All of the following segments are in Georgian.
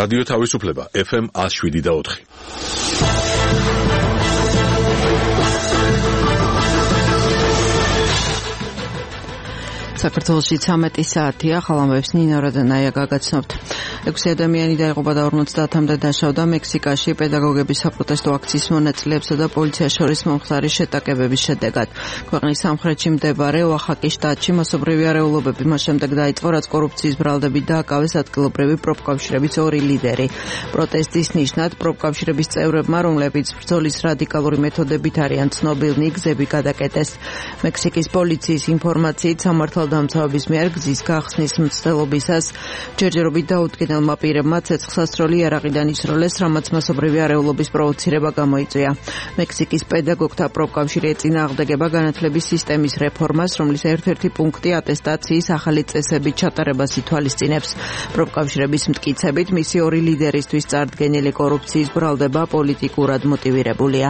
რადიო თავისუფლება FM 107.4. საქართველოში 13 საათია, ხალხამბებს ნინო რადანაია გაგაცნობთ. 6 ადამიანი დაიღუპა და 50-მდე დაშავდა მექსიკაში პედაგოგების საპროტესტო აქციის მონაწილეებსა და პოლიციას შორის მომხდარი შეტაკებების შედეგად. ქვეყნის სამხრეთში მდებარე ოახაკის შტატში მასობრივი არეულობები მას შემდეგ დაიწყო, რაც კორუფციის ბრალდებით დააკავეს ადგილობრივი პროფკავშირების ორი ლიდერი. პროტესტის ნიშნად პროფკავშირების წევრებმა, რომლებიც ბრძოლის რადიკალური მეთოდებით არიან ცნობილნი, გზები გადაკეტეს. მექსიკის პოლიციის ინფორმაციით სამართალდამცავების მიერ გზის გახსნის მცდელობისას ჯერჯერობით დაუდგენელმა პირებმა ცეცხლსასროლი იარაღიდან ისროლეს, რამაც მასობრივი არეულობის პროვოცირება გამოიწვია. მექსიკის პედაგოგთა პროფკავშირი ეწინააღმდეგება განათლების სისტემის რეფორმას, რომლის ერთ-ერთი პუნქტი ატესტაციის ახალი წესებით ჩატარებას ითვალისწინებს. პროფკავშირების მტკიცებით, მისი ორი ლიდერისთვის წარდგენილი კორუფციის ბრალდება პოლიტიკურად მოტივირებულია.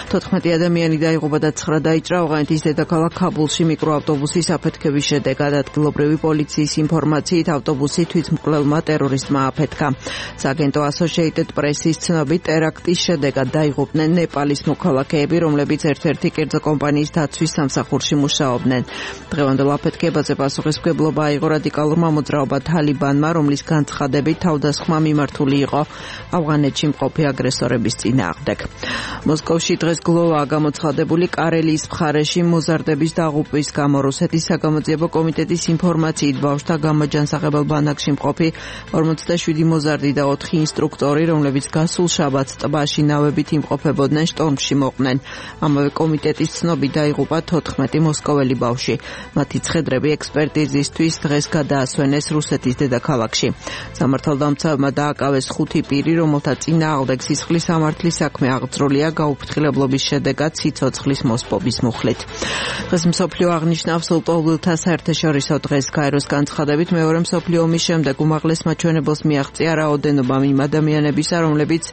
14 ადამიანი დაიღუპა და 9 დაიჭრა ავღანეთის დედაქალაქ ქაბულში მიკროავტობუსის აფეთქების შედეგად. ადგილობრივი პოლიციის ინფორმაციით ავტობუსი თვითმკვლელმა ტერორისტმა აფეთქა. სააგენტო Associated Press-ის ცნობით, ტერაქტის შედეგად დაიღუპნენ ნეპალის მოქალაქეები, რომლებიც ერთ-ერთი კერძო კომპანიის დაცვის სამსახურში მუშაობდნენ. დღევანდელ აფეთქებაზე პასუხისმგებლობა აიღო რადიკალურმა მოძრაობა თალიბანმა, რომლის განცხადებით თავდასხმა მიმართული იყო ავღანეთში მყოფი აგრესორების წინააღმდეგ. მოსკოვში დღეს გლოვაა გამოცხადებული კარელიის მხარეში მოზარდების დაღუპვის გამო. რუსეთის საგამოძიებო კომიტეტის ინფორმაციით, ბავშვთა გამაჯანსაღებელ ბანაკში მყოფი 47 მოზარდი და 4 ინსტრუქტორი, რომლებიც გასულ შაბათს ტბაში ნავებით იმყოფებოდნენ, შტორმში მოყვნენ. ამავე კომიტეტის ცნობით დაიღუპა 14 მოსკოველი ბავშვი. მათი ცხედრები ექსპერტიზისთვის დღეს გადაასვენეს რუსეთის დედაქალაქში. სამართალდამცავებმა დააკავეს 5 პირი, რომელთა წინააღმდეგ სისხლის სამართლის საქმე აღძრულია გაუფრთხილებლობის შედეგად სიცოცხლის მოსპობის მუხლით. დღეს მსოფლიო აღნიშნავს ლტოლვილთა საერთაშორისო დღეს. გაეროს განცხადებით, მეორე მსოფლიო ომის შემდეგ უმაღლეს მაჩვენებელს მიაღწია რაოდენობა იმ ადამიანებისა, რომლებიც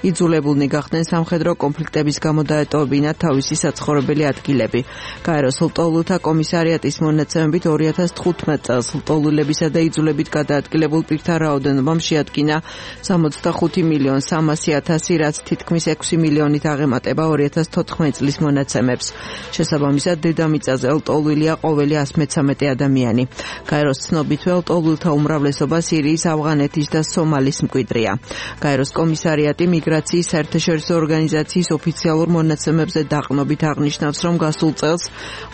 იძულებულნი გახდნენ სამხედრო კონფლიქტების გამო დაეტოვებინათ თავისი საცხოვრებელი ადგილები. გაეროს ლტოლვილთა კომისარიატის მონაცემებით 2015 წელს ლტოლვილებისა და იძულებით გადაადგილებულ პირთა რაოდენობამ შეადგინა 65,300,000, რაც თითქმის 6 მილიონით აღემატება 2014 წლის მონაცემებს. შესაბამისად, დედამიწაზე ლტოლვილია ყოველი 113 ადამიანი. გაეროს ცნობითვე ლტოლვილთა უმრავლესობა სირიის, ავღანეთის და სომალის მკვიდრია. გაეროს კომისარიატი მიგრაციის საერთაშორისო ორგანიზაციის ოფიციალურ მონაცემებზე დაყრდნობით აღნიშნავს, რომ გასულ წელს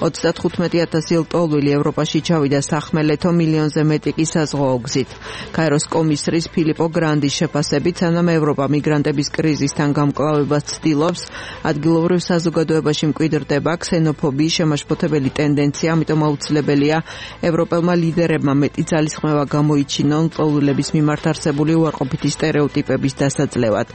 35,000 ლტოლვილი ევროპაში ჩავიდა სახმელეთო მილიონზე მეტი კი საზღვაო გზით. გაეროს კომისრის ფილიპო გრანდის შეფასებით, სანამ ევროპა მიგრანტების კრიზისთან გამკლავებას ცდილობს, ადგილობრივ საზოგადოებაში მკვიდრდება ქსენოფობიის შემაშფოთებელი ტენდენცია, ამიტომ აუცილებელია ევროპელმა ლიდერებმა მეტი ძალისხმევა გამოიჩინონ ლტოლვილების მიმართ არსებული უარყოფითი სტერეოტიპების დასაძლევად.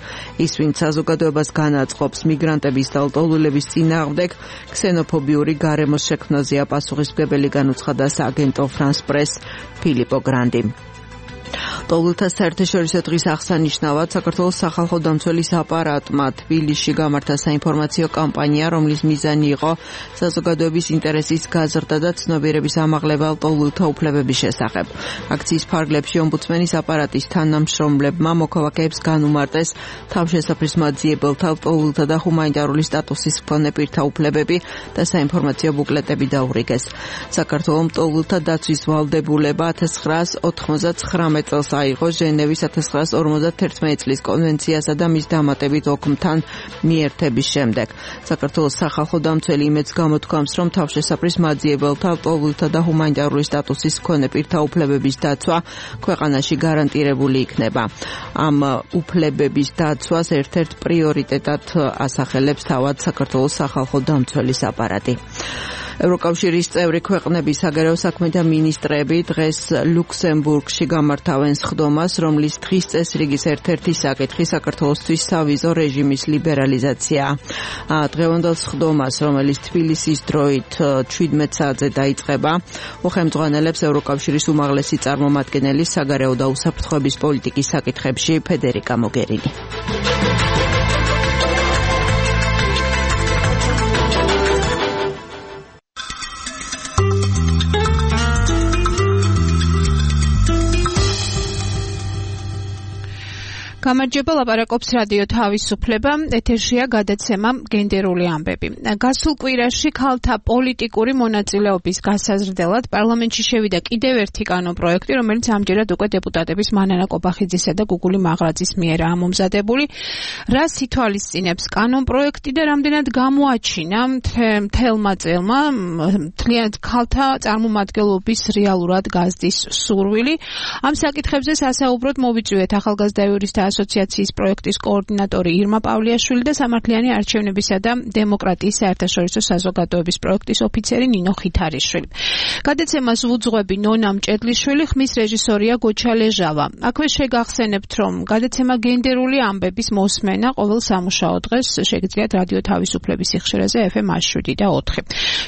ის, ვინც საზოგადოებას განაწყობს მიგრანტების და ლტოლვილების წინააღმდეგ, ქსენოფობიური გარემოს შექმნაზეა პასუხისმგებელი, განუცხადა სააგენტო France Press ფილიპო გრანდი. ლტოლვილთა საერთაშორისო დღის აღსანიშნავად საქართველოს სახალხო დამცველის აპარატმა თბილისში გამართა საინფორმაციო კამპანია, რომლის მიზანი იყო საზოგადოების ინტერესის გაზრდა და ცნობიერების ამაღლება ლტოლვილთა უფლებების შესახებ. აქციის ფარგლებში ომბუდსმენის აპარატის თანამშრომლებმა მოქალაქეებს განუმარტეს თავშესაფრის მაძიებელთა, ლტოლვილთა და ჰუმანიტარული სტატუსის მქონე პირთა უფლებები და საინფორმაციო ბუკლეტები დაურიგეს. საქართველოს ლტოლვილთა დაცვის ვალდებულება 1999 წელს აიღო ჟენევის 1951 წლის კონვენციასა და მის დამატებით ოქმთან მიერთების შემდეგ. საქართველოს სახალხო დამცველი იმედს გამოთქვამს, რომ თავშესაფრის მაძიებელთა, ლტოლვილთა და ჰუმანიტარული სტატუსის მქონე პირთა უფლებების დაცვა ქვეყანაში გარანტირებული იქნება. ამ უფლებების დაცვას ერთ-ერთ პრიორიტეტად ასახელებს თავად საქართველოს სახალხო დამცველის აპარატი. ევროკავშირის წევრი ქვეყნების საგარეო საქმეთა მინისტრები დღეს ლუქსემბურგში გამართავენ სხდომას, რომლის დღის წესრიგის ერთ-ერთი საკითხი საქართველოსთვის სავიზო რეჟიმის ლიბერალიზაცია. დღევანდელ სხდომას, რომელიც თბილისის დროით 17 საათზე დაიწყება, უხელმძღვანელებს ევროკავშირის უმაღლესი წარმომადგენელი საგარეო და უსაფრთხოების პოლიტიკის საკითხებში ფედერიკა მოგერინი. გამარჯობა, ლაპარაკობს რადიო თავისუფლება, ეთერშია გადაცემა გენდერული ამბები. გასულ კვირაში ქალთა პოლიტიკური მონაწილეობის გასაზრდელად პარლამენტში შევიდა კიდევ ერთი კანონპროექტი, რომელიც ამჯერად უკვე დეპუტატების მანანა კობახიძისა და გუგული მაღრაძის მიერაა მომზადებული. რას ითვალისწინებს კანონპროექტი და რამდენად გამოაჩინა მთელმა წელმა მთლიანად ქალთა წარმომადგენლობის რეალურად გაზრდის სურვილი? ამ საკითხებზე სასაუბროდ მოვიწვიეთ ახალგაზრდა იურისტთა ასოციაციის პროექტის კოორდინატორი ირმა პავლიაშვილი და სამართლიანი არჩევნებისა და დემოკრატიის საერთაშორისო საზოგადოების პროექტის ოფიცერი ნინო ხითარიშვილი. გადაცემას ვუძღვები ნონა მჭედლიშვილი, ხმის რეჟისორია გოჩა ლეჟავა. აქვე შეგახსენებთ, რომ გადაცემა გენდერული ამბების მოსმენა ყოველ სამუშაო დღეს შეგიძლიათ რადიო თავისუფლების სიხშირეზე FM 107 და 4.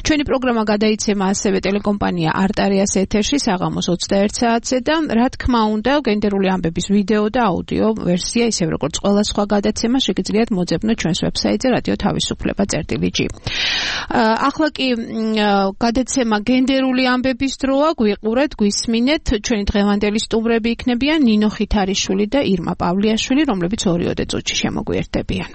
ჩვენი პროგრამა გადაიცემა ასევე ტელეკომპანია არტარიას ეთერში საღამოს 21 საათზე და რა თქმა უნდა გენდერული ამბების ვიდეო და აუდიო ვერსია, ისევ როგორც ყველა სხვა გადაცემა, შეგიძლიათ მოძებნოთ ჩვენს ვებსაიტზე რადიო თავისუფლება.gr. ახლა კი გადაცემა გენდერული ამბების დროა, გვიყურეთ, გვისმინეთ. ჩვენი დღევანდელი სტუმრები იქნებიან ნინო ხითარიშვილი და ირმა პავლიაშვილი, რომლებიც 2 წუთში შემოგვიერთდებიან.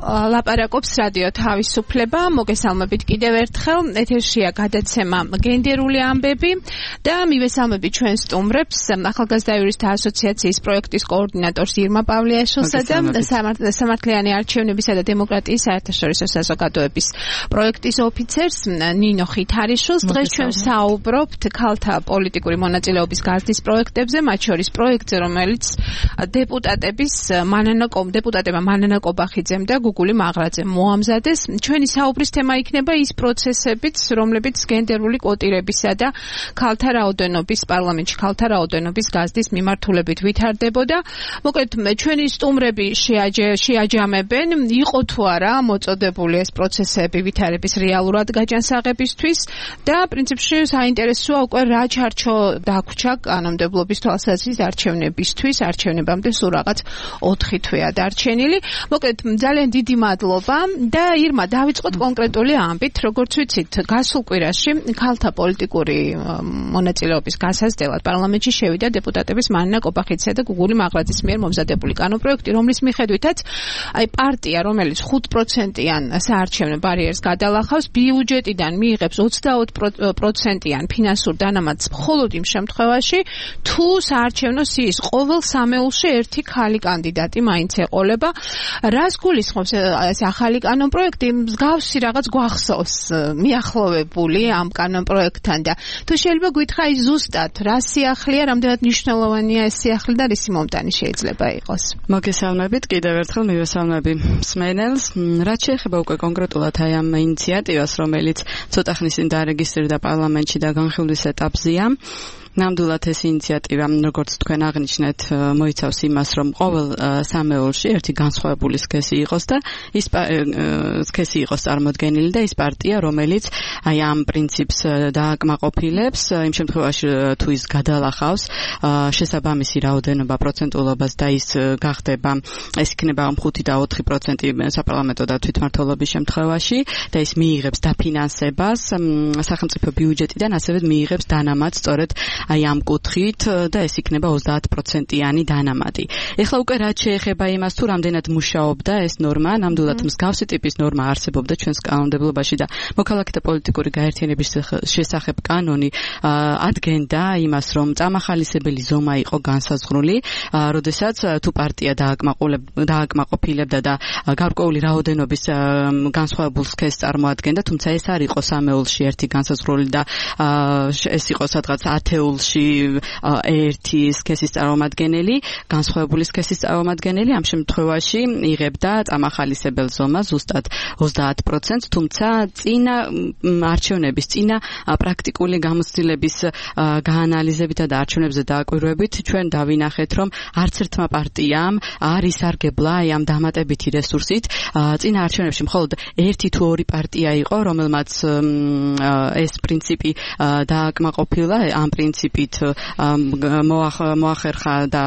ლაპარაკობს რადიო თავისუფლება, მოგესალმებით კიდევ ერთხელ, ეთერშია გადაცემა გენდერული ამბები და მივესალმებით ჩვენ სტუმრებს, ახალგაზრდა იურისტთა ასოციაციის პროექტის კოორდინატორს ირმა პავლიაშვილსა და სამართლიანი არჩევნებისა და დემოკრატიის საერთაშორისო საზოგადოების პროექტის ოფიცერს ნინო ხითარიშვილს. დღეს ჩვენ საუბრობთ ქალთა პოლიტიკური მონაწილეობის გაზრდის პროექტებზე, მათ შორის პროექტზე, რომელიც დეპუტატებმა მანანა კობახიძემ და გუგული მაღრაძემ მოამზადეს. ჩვენი საუბრის თემა იქნება ის პროცესებიც, რომლებიც გენდერული კვოტირებისა და ქალთა რაოდენობის პარლამენტში ქალთა რაოდენობის გაზრდის მიმართულებით ვითარდებოდა. მოკლედ, ჩვენი სტუმრები შეაჯამებენ, იყო თუ არა მოწოდებული ეს პროცესები ვითარების რეალურად გაჯანსაღებისთვის და პრინციპში საინტერესოა უკვე რა ჩარჩო დაგვრჩა კანონმდებლობის თვალსაზრისით არჩევნებისთვის, არჩევნებამდე სულ რაღაც 4 თვეა დარჩენილი. მოკლედ, ძალიან დიდი მადლობა და ირმა, დავიწყოთ კონკრეტული ამბით, როგორც ვიცით, გასულ კვირაში ქალთა პოლიტიკური მონაწილეობის გასაზრდელად პარლამენტში შევიდა დეპუტატების მანანა კობახიძისა და გუგული მაღრაძის მიერ მომზადებული კანონპროექტი, რომლის მიხედვითაც პარტია, რომელიც 5%-იან საარჩევნო ბარიერს გადალახავს, ბიუჯეტიდან მიიღებს 20%-იან ფინანსურ დანამატს მხოლოდ იმ შემთხვევაში, თუ საარჩევნო სიის ყოველ სამეულში ერთი ქალი კანდიდატი მაინც ეყოლება. რას გულისხმობს ეს ახალი კანონპროექტი? მსგავსი რაღაც გვახსოვს მიახლოვებული ამ კანონპროექტთან და თუ შეიძლება გითხრა ის ზუსტად რა სიახლეა, რამდენად მნიშვნელოვანია ეს სიახლე და რისი მომტანი შეიძლება იყოს? მოგესალმებით, კიდევ ერთხელ მივესალმები მსმენელს. რაც შეეხება უკვე კონკრეტულად აი ამ ინიციატივას, რომელიც ცოტა ხნის წინ დარეგისტრირდა პარლამენტში და განხილვის ეტაპზეა. ნამდვილად ეს ინიციატივა, როგორც თქვენ აღნიშნეთ, მოიცავს იმას, რომ ყოველ სამეულში ერთი განსხვავებული სქესი იყოს და ის სქესი იყოს წარმოდგენილი და ის პარტია, რომელიც აი ამ პრინციპს დააკმაყოფილებს, იმ შემთხვევაში თუ ის გადალახავს შესაბამისი რაოდენობა პროცენტულობას და ის გახდება, ეს იქნება 5 და 4% საპარლამენტო და თვითმმართველობის შემთხვევაში და ის მიიღებს დაფინანსებას სახელმწიფო ბიუჯეტიდან, ასევე მიიღებს დანამატს სწორედ აი ამ კუთხით და ეს იქნება 30%-იანი დანამატი. ეხლა უკვე რაც შეეხება იმას, თუ რამდენად მუშაობდა ეს ნორმა, ნამდვილად მსგავსი ტიპის ნორმა არსებობდა ჩვენს კანონმდებლობაში და მოქალაქეთა პოლიტიკური გაერთიანების შესახებ კანონი ადგენდა იმას, რომ წამახალისებელი ზომა იყო განსაზღვრული, როდესაც თუ პარტია დააკმაყოფილებდა და გარკვეული რაოდენობის განსხვავებულ სქესს წარმოადგენდა, თუმცა ეს არ იყო სამეულში ერთი განსაზღვრული და ეს იყო სადღაც 10 ერთი სქესის წარმომადგენელი, განსხვავებული სქესის წარმომადგენელი, ამ შემთხვევაში იღებდა წამახალისებელ ზომას ზუსტად 30%, თუმცა წინა არჩევნების, წინა პრაქტიკული გამოცდილების გაანალიზებითა და არჩევნებზე დააკვირვებით, ჩვენ დავინახეთ, რომ არც ერთმა პარტიამ არ ისარგებლა აი ამ დამატებითი რესურსით. წინა არჩევნებში მხოლოდ 1 თუ 2 პარტია იყო, რომელმაც ეს პრინციპი დააკმაყოფილა, ამ პრინციპით მოახერხა და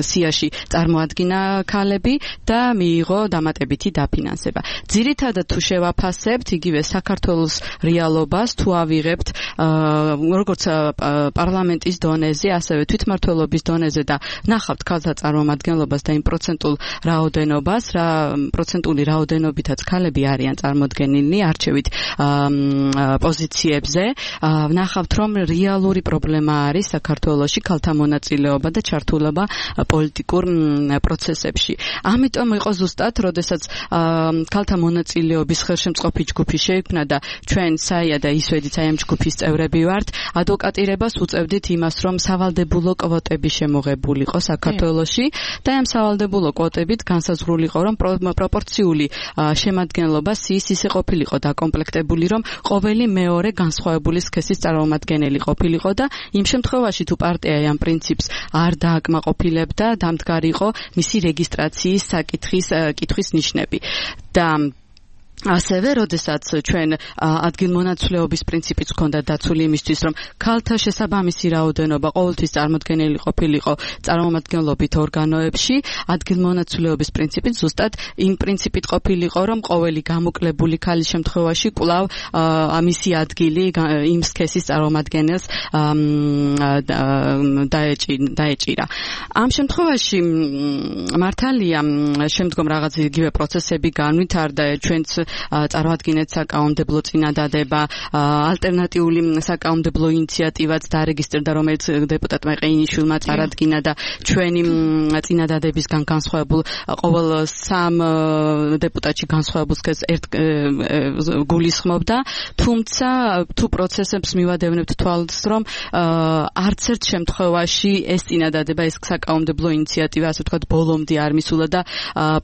სიაში წარმოადგინა ქალები და მიიღო დამატებითი დაფინანსება. ძირითადად თუ შევაფასებთ იგივე საქართველოს რეალობას, თუ ავიღებთ როგორც პარლამენტის დონეზე, ასევე თვითმმართველობის დონეზე და ნახავთ ქალთა წარმომადგენლობას და იმ პროცენტულ რაოდენობას, რა პროცენტული რაოდენობითაც ქალები არიან წარმოდგენილნი არჩევით პოზიციებზე, ნახავთ რომ რეალური პრობლემა არის საქართველოში ქალთა მონაწილეობა და ჩართულობა პოლიტიკურ პროცესებში. ამიტომ იყო ზუსტად, როდესაც ქალთა მონაწილეობის ხელშემწყობი ჯგუფი შეიქმნა და ჩვენ საია და ისვედიც აი ამ ჯგუფის წევრები ვართ, ადვოკატირებას უწევდით იმას, რომ სავალდებულო კვოტები შემოღებულიყო საქართველოში და ამ სავალდებულო კვოტებით განსაზღვრულიყო, რომ პროპორციული შემადგენლობა სიის ისე ყოფილიყო დაკომპლექტებული, რომ ყოველი მეორე განსხვავებული სქესის წარმომადგენელი ყოფილიყო და იმ შემთხვევაში თუ პარტია ამ პრინციპს არ დააკმაყოფილებდა, დამდგარიყო მისი რეგისტრაციის საკითხის ნიშნები. და ასევე, როდესაც ჩვენ ადგილმონაცვლეობის პრინციპიც ჰქონდა დაცული იმისთვის, რომ ქალთა შესაბამისი რაოდენობა ყოველთვის წარმოდგენილი ყოფილიყო წარმომადგენლობით ორგანოებში, ადგილმონაცვლეობის პრინციპით ზუსტად იმ პრინციპით ყოფილიყო, რომ ყოველი გამოკლებული ქალის შემთხვევაში კვლავ მისი ადგილი იმ სქესის წარმომადგენელს დაეჭირა. ამ შემთხვევაში მართალია შემდგომ რაღაც იგივე პროცესები განვითარდა, ჩვენც წარმოადგინეთ საკანონმდებლო წინადადება, ალტერნატიული საკანონმდებლო ინიციატივაც დარეგისტრირდა, რომელიც დეპუტატმა ყეინიშვილმა წარადგინა და ჩვენი წინადადებისგან განსხვავებულ ყოველ 3 დეპუტატში განსხვავებულ სქესს ერთ გულისხმობდა, თუმცა თუ პროცესებს მივადევნებთ თვალს, რომ არც ერთ შემთხვევაში ეს წინადადება, ეს საკანონმდებლო ინიციატივა, ასე ვთქვათ, ბოლომდე არ მისულა და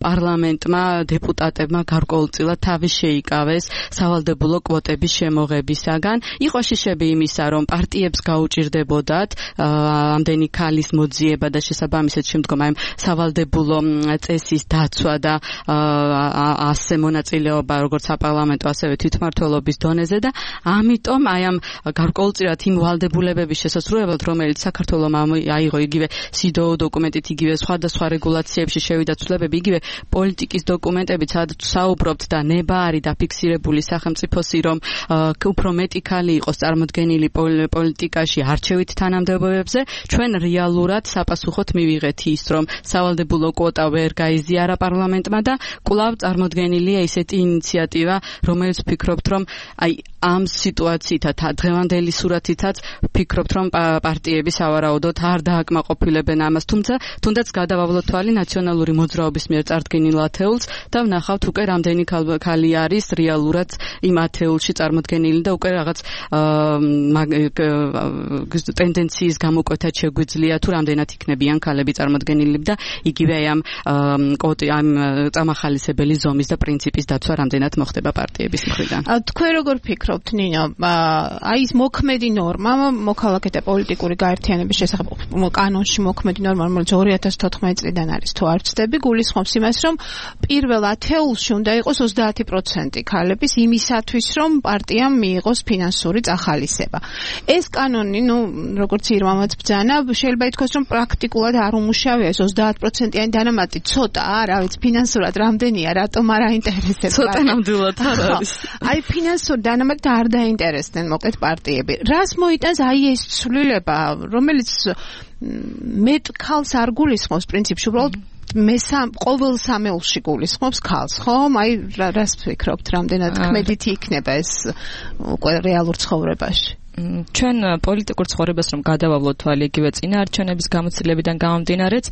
პარლამენტმა, დეპუტატებმა გარკვეულწილად თავი შეიკავეს სავალდებულო კვოტების შემოღებისაგან. იყო შიშები იმისა, რომ პარტიებს გაუჭირდებოდათ ამდენი ქალის მოძიება და შესაბამისად შემდგომ აი სავალდებულო წესის დაცვა და ასე მონაწილეობა როგორც საპარლამენტო, ასევე თვითმმართველობის დონეზე და ამიტომ აი ამ გარკვეულწილად იმ ვალდებულებების შესასრულებლად, რომელიც საქართველომ აიღო იგივე CEDAW დოკუმენტით, იგივე სხვადასხვა რეგულაციებში შევიდა ცვლილებები, იგივე პოლიტიკის დოკუმენტებით, სადაც საუბრობთ და ნება არის დაფიქსირებული სახელმწიფოსი, რომ უფრო მეტი ქალი იყოს წარმოდგენილი პოლიტიკაში არჩევით თანამდებობებზე, ჩვენ რეალურად საპასუხოდ მივიღეთ ის, რომ სავალდებულო კვოტა ვერ გაიზიარა პარლამენტმა და კვლავ წარმოდგენილია ისეთი ინიციატივა, რომელიც ვფიქრობთ, რომ აი ამ სიტუაციითაც დღევანდელი სურათითაც ვფიქრობთ, რომ პარტიები სავარაუდოდ არ დააკმაყოფილებენ ამას, თუნდაც გადავავლოთ თვალი ნაციონალური მოძრაობის მიერ წარდგენილ ათეულს და ვნახავთ უკვე რამდენი ქალი არის რეალურად იმ ათეულში წარმოდგენილი და უკვე რაღაც ტენდენციის გამოკვეთად შეგვიძლია თუ რამდენად იქნებიან ქალები წარმოდგენილი და იგივე ამ წამახალისებელი ზომის და პრინციპის დაცვა რამდენად მოხდება პარტიების მხრიდან. თქვენ როგორ ფიქრობთ, ნინო, აი ეს მოქმედი ნორმა, მოქალაქეთა პოლიტიკური გაერთიანების შესახებ კანონში მოქმედი ნორმა, რომელიც 2014 წლიდან არის, თუ არ ვცდები, გულისხმობს იმას, რომ პირველ ათეულში უნდა იყოს 30% ქალების იმისათვის, რომ პარტიამ მიიღოს ფინანსური წახალისება. ეს კანონი, როგორც ირმამაც ბრძანა, შეიძლება ითქვას, რომ პრაქტიკულად არ უმუშავია, ეს 30%-იანი დანამატი ცოტაა, რა ვიცი, ფინანსურად რამდენია, რატომ არ აინტერესებს? ცოტა ნამდვილად არ არის. აი ფინანსური დანამატი არ დაინტერესდნენ მოკლედ პარტიები. რას მოიტანს აი ეს ცვლილება, რომელიც მეტ ქალს არ გულისხმობს პრინციპში, უბრალოდ ყოველ სამეულში გულისხმობს ქალს, ხომ? აი რას ვფიქრობთ, რამდენად ქმედითი იქნება ეს უკვე რეალურ ცხოვრებაში? ჩვენ პოლიტიკურ ცხოვრებას რომ გადავავლოთ თვალი იგივე წინაარჩევნების გამოცდილებიდან გამომდინარეც,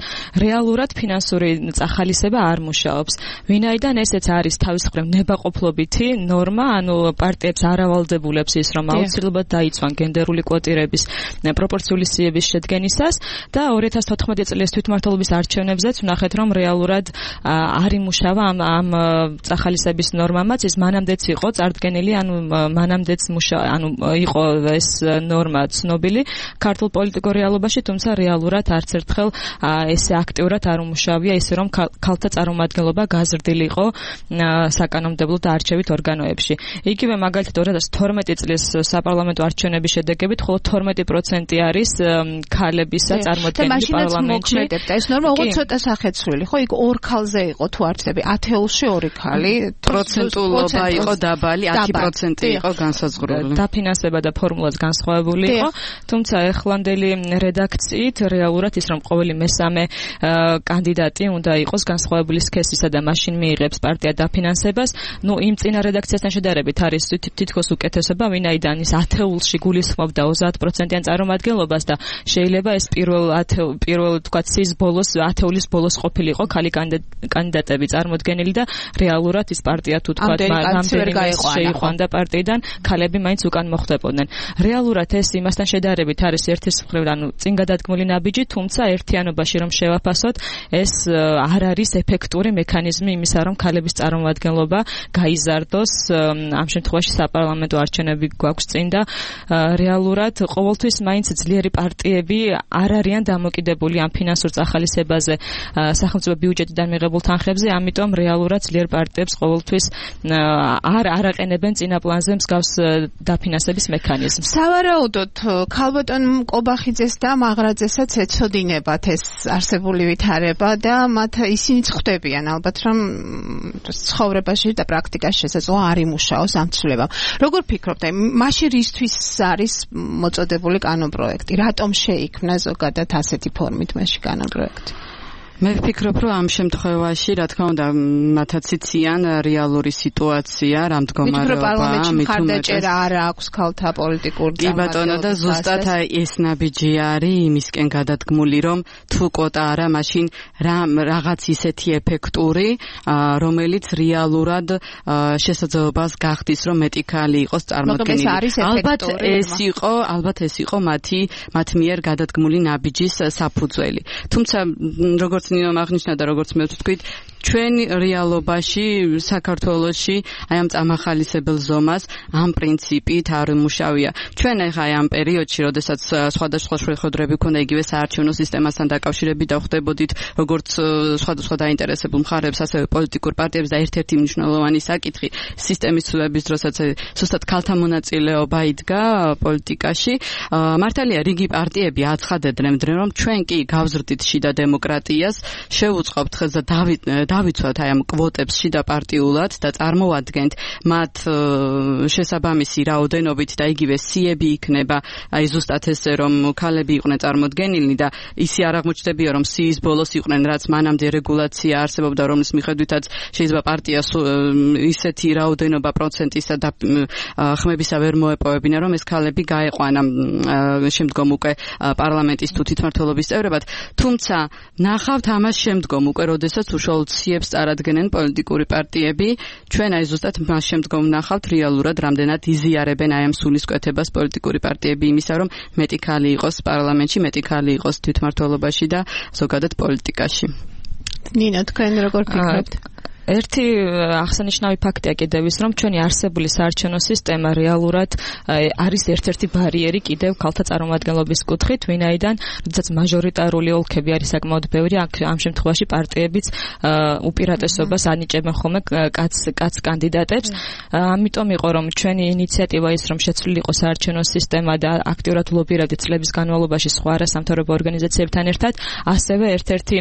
რეალურად ფინანსური წახალისება არ მუშაობს. ვინაიდან ესეც არის თავის მხრივ ნებაყოფლობითი ნორმა, ანუ პარტიებს არ ავალდებულებს ის, რომ აუცილებლად დაიცვან გენდერული კვოტირების პროპორციული სიების შედგენისას და 2014 წლის თვითმმართველობის არჩევნებზეც ვნახეთ, რომ რეალურად არ იმუშავა ამ წახალისების ნორმამაც, ის მანამდეც იყო წარდგენილი, ანუ მანამდეც იყო ეს ნორმა ცნობილი ქართულ პოლიტიკურ რეალობაში, თუმცა რეალურად არც ერთხელ ესე აქტიურად არ უმუშავია, ისე რომ ქალთა წარმომადგენლობა გაზრდილიყო საკანონმდებლო და არჩევით ორგანოებში. იგივე მაგალითად 2012 წლის საპარლამენტო არჩევნების შედეგებით მხოლოდ 12% არის ქალებისა წარმოდგენილი პარლამენტში. ეს ნორმა უღო ცოტა სახეცვლილი, ხო? იქ ორ ქალზე იყო თუ არ ვცდები, ათეულში ორი ქალი, პროცენტულობა იყო დაბალი, 10% იყო განსაზღვრული. დაფინანსება და ფორმულაც განსხვავებული იყო, თუმცა ეხლანდელი რედაქციით რეალურად ის რომ ყოველი მესამე კანდიდატი უნდა იყოს განსხვავებული სქესისა და მაშინ მიიღებს პარტია დაფინანსებას. იმ წინა რედაქციასთან შედარებით არის თითქოს უკეთესობა, ვინაიდან ის ათეულში გულისხმობდა 30%-იან წარმომადგენლობას და შეიძლება ეს პირველ თქვათ სის ბოლოს ათეულის ბოლოს ყოფილიყო ქალი კანდიდატები წარმოდგენილი და რეალურად ის პარტია თუ თქვათ რამდენიმე შეიყვანდა პარტიიდან, ქალები მაინც უკან მოხვდებოდნენ. რეალურად ეს იმასთან შედარებით არის ერთის მხრივ, ანუ წინ გადადგმული ნაბიჯი, თუმცა ერთიანობაში რომ შევაფასოთ, ეს არ არის ეფექტური მექანიზმი იმისა, რომ ქალების წარმომადგენლობა გაიზარდოს. ამ შემთხვევაში საპარლამენტო არჩევნები გვაქვს წინ და რეალურად ყოველთვის მაინც ძლიერი პარტიები არ არიან დამოკიდებული ამ ფინანსურ წახალისებაზე სახელმწიფო ბიუჯეტიდან მიღებულ თანხებზე, ამიტომ რეალურად ძლიერ პარტიებს ყოველთვის არ აყენებენ წინა პლანზე მსგავს დაფინანსების მექანიზმს. სავარაუდოდ ქალბატონ კობახიძეს და მაღრაძესაც ეცოდინებათ ეს არსებული ვითარება და მათ ისინიც ხვდებიან ალბათ რომ ცხოვრებაში და პრაქტიკაში შესაძლოა არ იმუშაოს ამ ცვლილებამ. როგორ ფიქრობთ, მაშინ რისთვის არის მოწოდებული კანონპროექტი? რატომ შეიქმნა ზოგადად ასეთი ფორმით მაშინ კანონპროექტი? მე ვფიქრობ, რომ ამ შემთხვევაში, რა თქმა უნდა, მათაც იციან რეალური სიტუაცია, რა მდგომარეობა, პარლამენტში მხარდაჭერა არ აქვს ქალთა პოლიტიკურ კი ბატონო და ზუსტად ეს ნაბიჯი არის იმისკენ გადადგმული, რომ თუ კვოტა არა, მაშინ რაღაც ისეთი ეფექტური, რომელიც რეალურად შესაძლებლობას გახდის, რომ მეტი ქალი იყოს წარმოდგენილი. ალბათ ეს იყო მათ მიერ გადადგმული ნაბიჯის საფუძველი. თუმცა როგორც ნინომ აღნიშნა და როგორც მე ვთქვით, ჩვენ რეალობაში საქართველოში აი ამ წამახალისებელ ზომას ამ პრინციპით არ მუშავია. ჩვენ ახლა აი ამ პერიოდში, როდესაც სხვადასხვა შეხვედრები ქონდა იგივე საარჩევნო სისტემასთან დაკავშირებით და ხვდებოდით როგორც სხვადასხვა დაინტერესებულ მხარეებს, ასევე პოლიტიკურ პარტიებს და ერთ-ერთი მნიშვნელოვანი საკითხი სისტემის ცვლილების დროსაც ზუსტად ქალთა მონაწილეობა იდგა პოლიტიკაში. მართალია რიგი პარტიები აცხადებდნენ, რომ ჩვენ კი გავზრდით შიდა დემოკრატიას, შევუწყობთ ხელს და დავიცვათ აი ამ კვოტებს შიდა პარტიულად და წარმოვადგენთ მათ შესაბამისი რაოდენობით და იგივე სიები იქნება, აი ზუსტად ესე რომ ქალები იყვნენ წარმოდგენილნი და ისე არ აღმოჩნდებია რომ სიის ბოლოს იყვნენ, რაც მანამდე რეგულაცია არსებობდა, რომლის მიხედვითაც შეიძლება პარტიას ისეთი რაოდენობა პროცენტისა და ხმებისა ვერ მოეპოვებინა, რომ ეს ქალები გაეყვანა შემდგომ უკვე პარლამენტის თუ თვითმმართველობის წევრებად. თუმცა ნახავთ ამას შემდგომ უკვე, როდესაც უშუალოდ სიებს წარადგენენ პოლიტიკური პარტიები, ჩვენ აი ზუსტად მას შემდგომ ნახავთ რეალურად რამდენად იზიარებენ აი ამ სულისკვეთებას პოლიტიკური პარტიები იმისა, რომ მეტი ქალი იყოს პარლამენტში, მეტი ქალი იყოს თვითმმართველობაში და ზოგადად პოლიტიკაში. ნინა, თქვენ როგორ ფიქრობთ? ერთი აღსანიშნავი ფაქტია კიდევ ის, რომ ჩვენი არსებული საარჩევნო სისტემა რეალურად არის ერთ-ერთი ბარიერი კიდევ ქალთა წარმომადგენლობის კუთხით, ვინაიდან როდესაც მაჟორიტარული ოლქები არის საკმაოდ ბევრი, ამ შემთხვევაში პარტიებიც უპირატესობას ანიჭებენ ხოლმე კაც კანდიდატებს. ამიტომ იყო რომ ჩვენი ინიციატივა ის, რომ შეცვლილი იყო საარჩევნო სისტემა და აქტიურად ლობირებდით წლების განმავლობაში სხვა არასამთავრობო ორგანიზაციებთან ერთად, ასევე ერთ-ერთი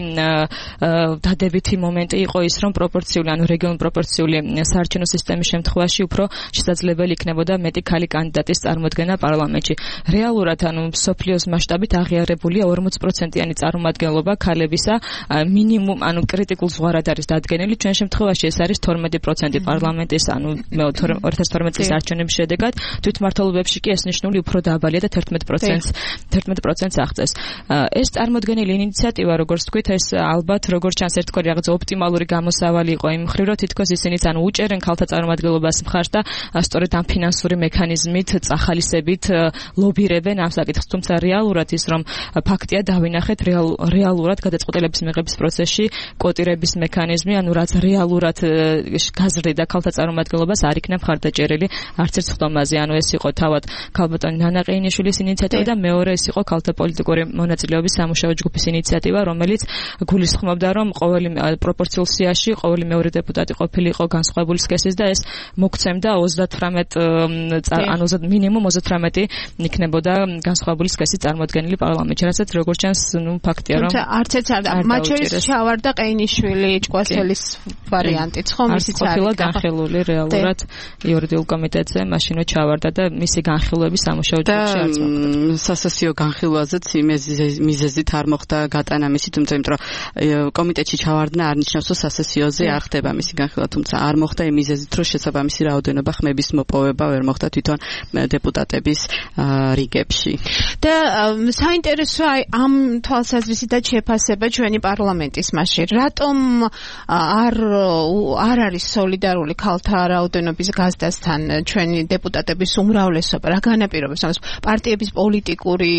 დადებითი მომენტი იყო ის, რომ ანუ რეგიონულ პროპორციული საარჩევნო სისტემის შემთხვევაში უფრო შესაძლებელი იქნებოდა მეტი ქალი კანდიდატის წარმოდგენა პარლამენტში. რეალურად ანუ სოფლიოს მასშტაბით აღიარებულია 40%-იანი წარმომადგენლობა ქალებისა, მინიმუმ ანუ კრიტიკულ ზღვარად არის დადგენილი. ჩვენ შემთხვევაში ეს არის 12% პარლამენტის, ანუ 2012 წლის არჩევნების შედეგად, თვითმმართველობებში კი ეს ნიშნული უფრო დაბალია და 11%-ს აღწევს. ეს წარმოდგენილი ინიციატივა, როგორც თქვით, ეს ალბათ როგორც ჩანს ერთგვარი რაღაც ოპტიმალური გამოსავალი იყო იმ მხრივ, რომ თითქოს ისინიც ანუ უჭერენ ქალთა წარმომადგენლობას მხარს და სწორედ ამ ფინანსური მექანიზმით, წახალისებით ლობირებენ ამ საკითხს. თუმცა რეალურად ის, რომ ფაქტია დავინახეთ რეალურად გადაწყვეტილების მიღების პროცესში კვოტირების მექანიზმი, ანუ რაც რეალურად გაზრდიდა ქალთა წარმომადგენლობას, არ იქნა მხარდაჭერილი არც ერთ ხდომაზე. ანუ ეს იყო თავად ქალბატონი ნანა ყეინიშვილის ინიციატივა და მეორე ეს იყო ქალთა პოლიტიკური მონაწილეობის სამუშაო ჯგუფის ინიციატივა, რომელიც გულისხმობდა, რომ ყოველი პროპორციულ სიაში ყოველი მეორე დეპუტატი ყოფილიყო განსხვავებული სქესის და ეს მოგცემდა 38 ანუ მინიმუმ 38 იქნებოდა განსხვავებული სქესის წარმოდგენილი პარლამენტში, რასაც როგორც ჩანს, ფაქტია რომ არც ერთ არ მათ შორის ჩავარდა ყეინიშვილი ჭკვასელის ვარიანტიც, ხო, ისიც არის ყოფილა განხილული რეალურად იურიდიულ კომიტეტზე, მაშინვე ჩავარდა და მისი განხილვები სამუშაო ჯგუფში არც მოხდა. სასასიო განხილვაზეც მიზეზით არ მოხდა გატანა მისი, თუმცა იმიტომ რომ კომიტეტში ჩავარდნა არ ნიშნავს, რომ სასასიოზე არ ხდება მისი განხილვა, თუმცა არ მოხდა იმ მიზეზით, რომ შესაბამისი რაოდენობა ხმების მოპოვება ვერ მოხდა თვითონ დეპუტატების რიგებში. და საინტერესოა ამ თვალსაზრისითაც შეფასება ჩვენი პარლამენტის მასში. რატომ არ არის სოლიდარული ქალთა რაოდენობის გაზრდასთან ჩვენი დეპუტატების უმრავლესობა? რა განაპირობებს ამას? პარტიების პოლიტიკური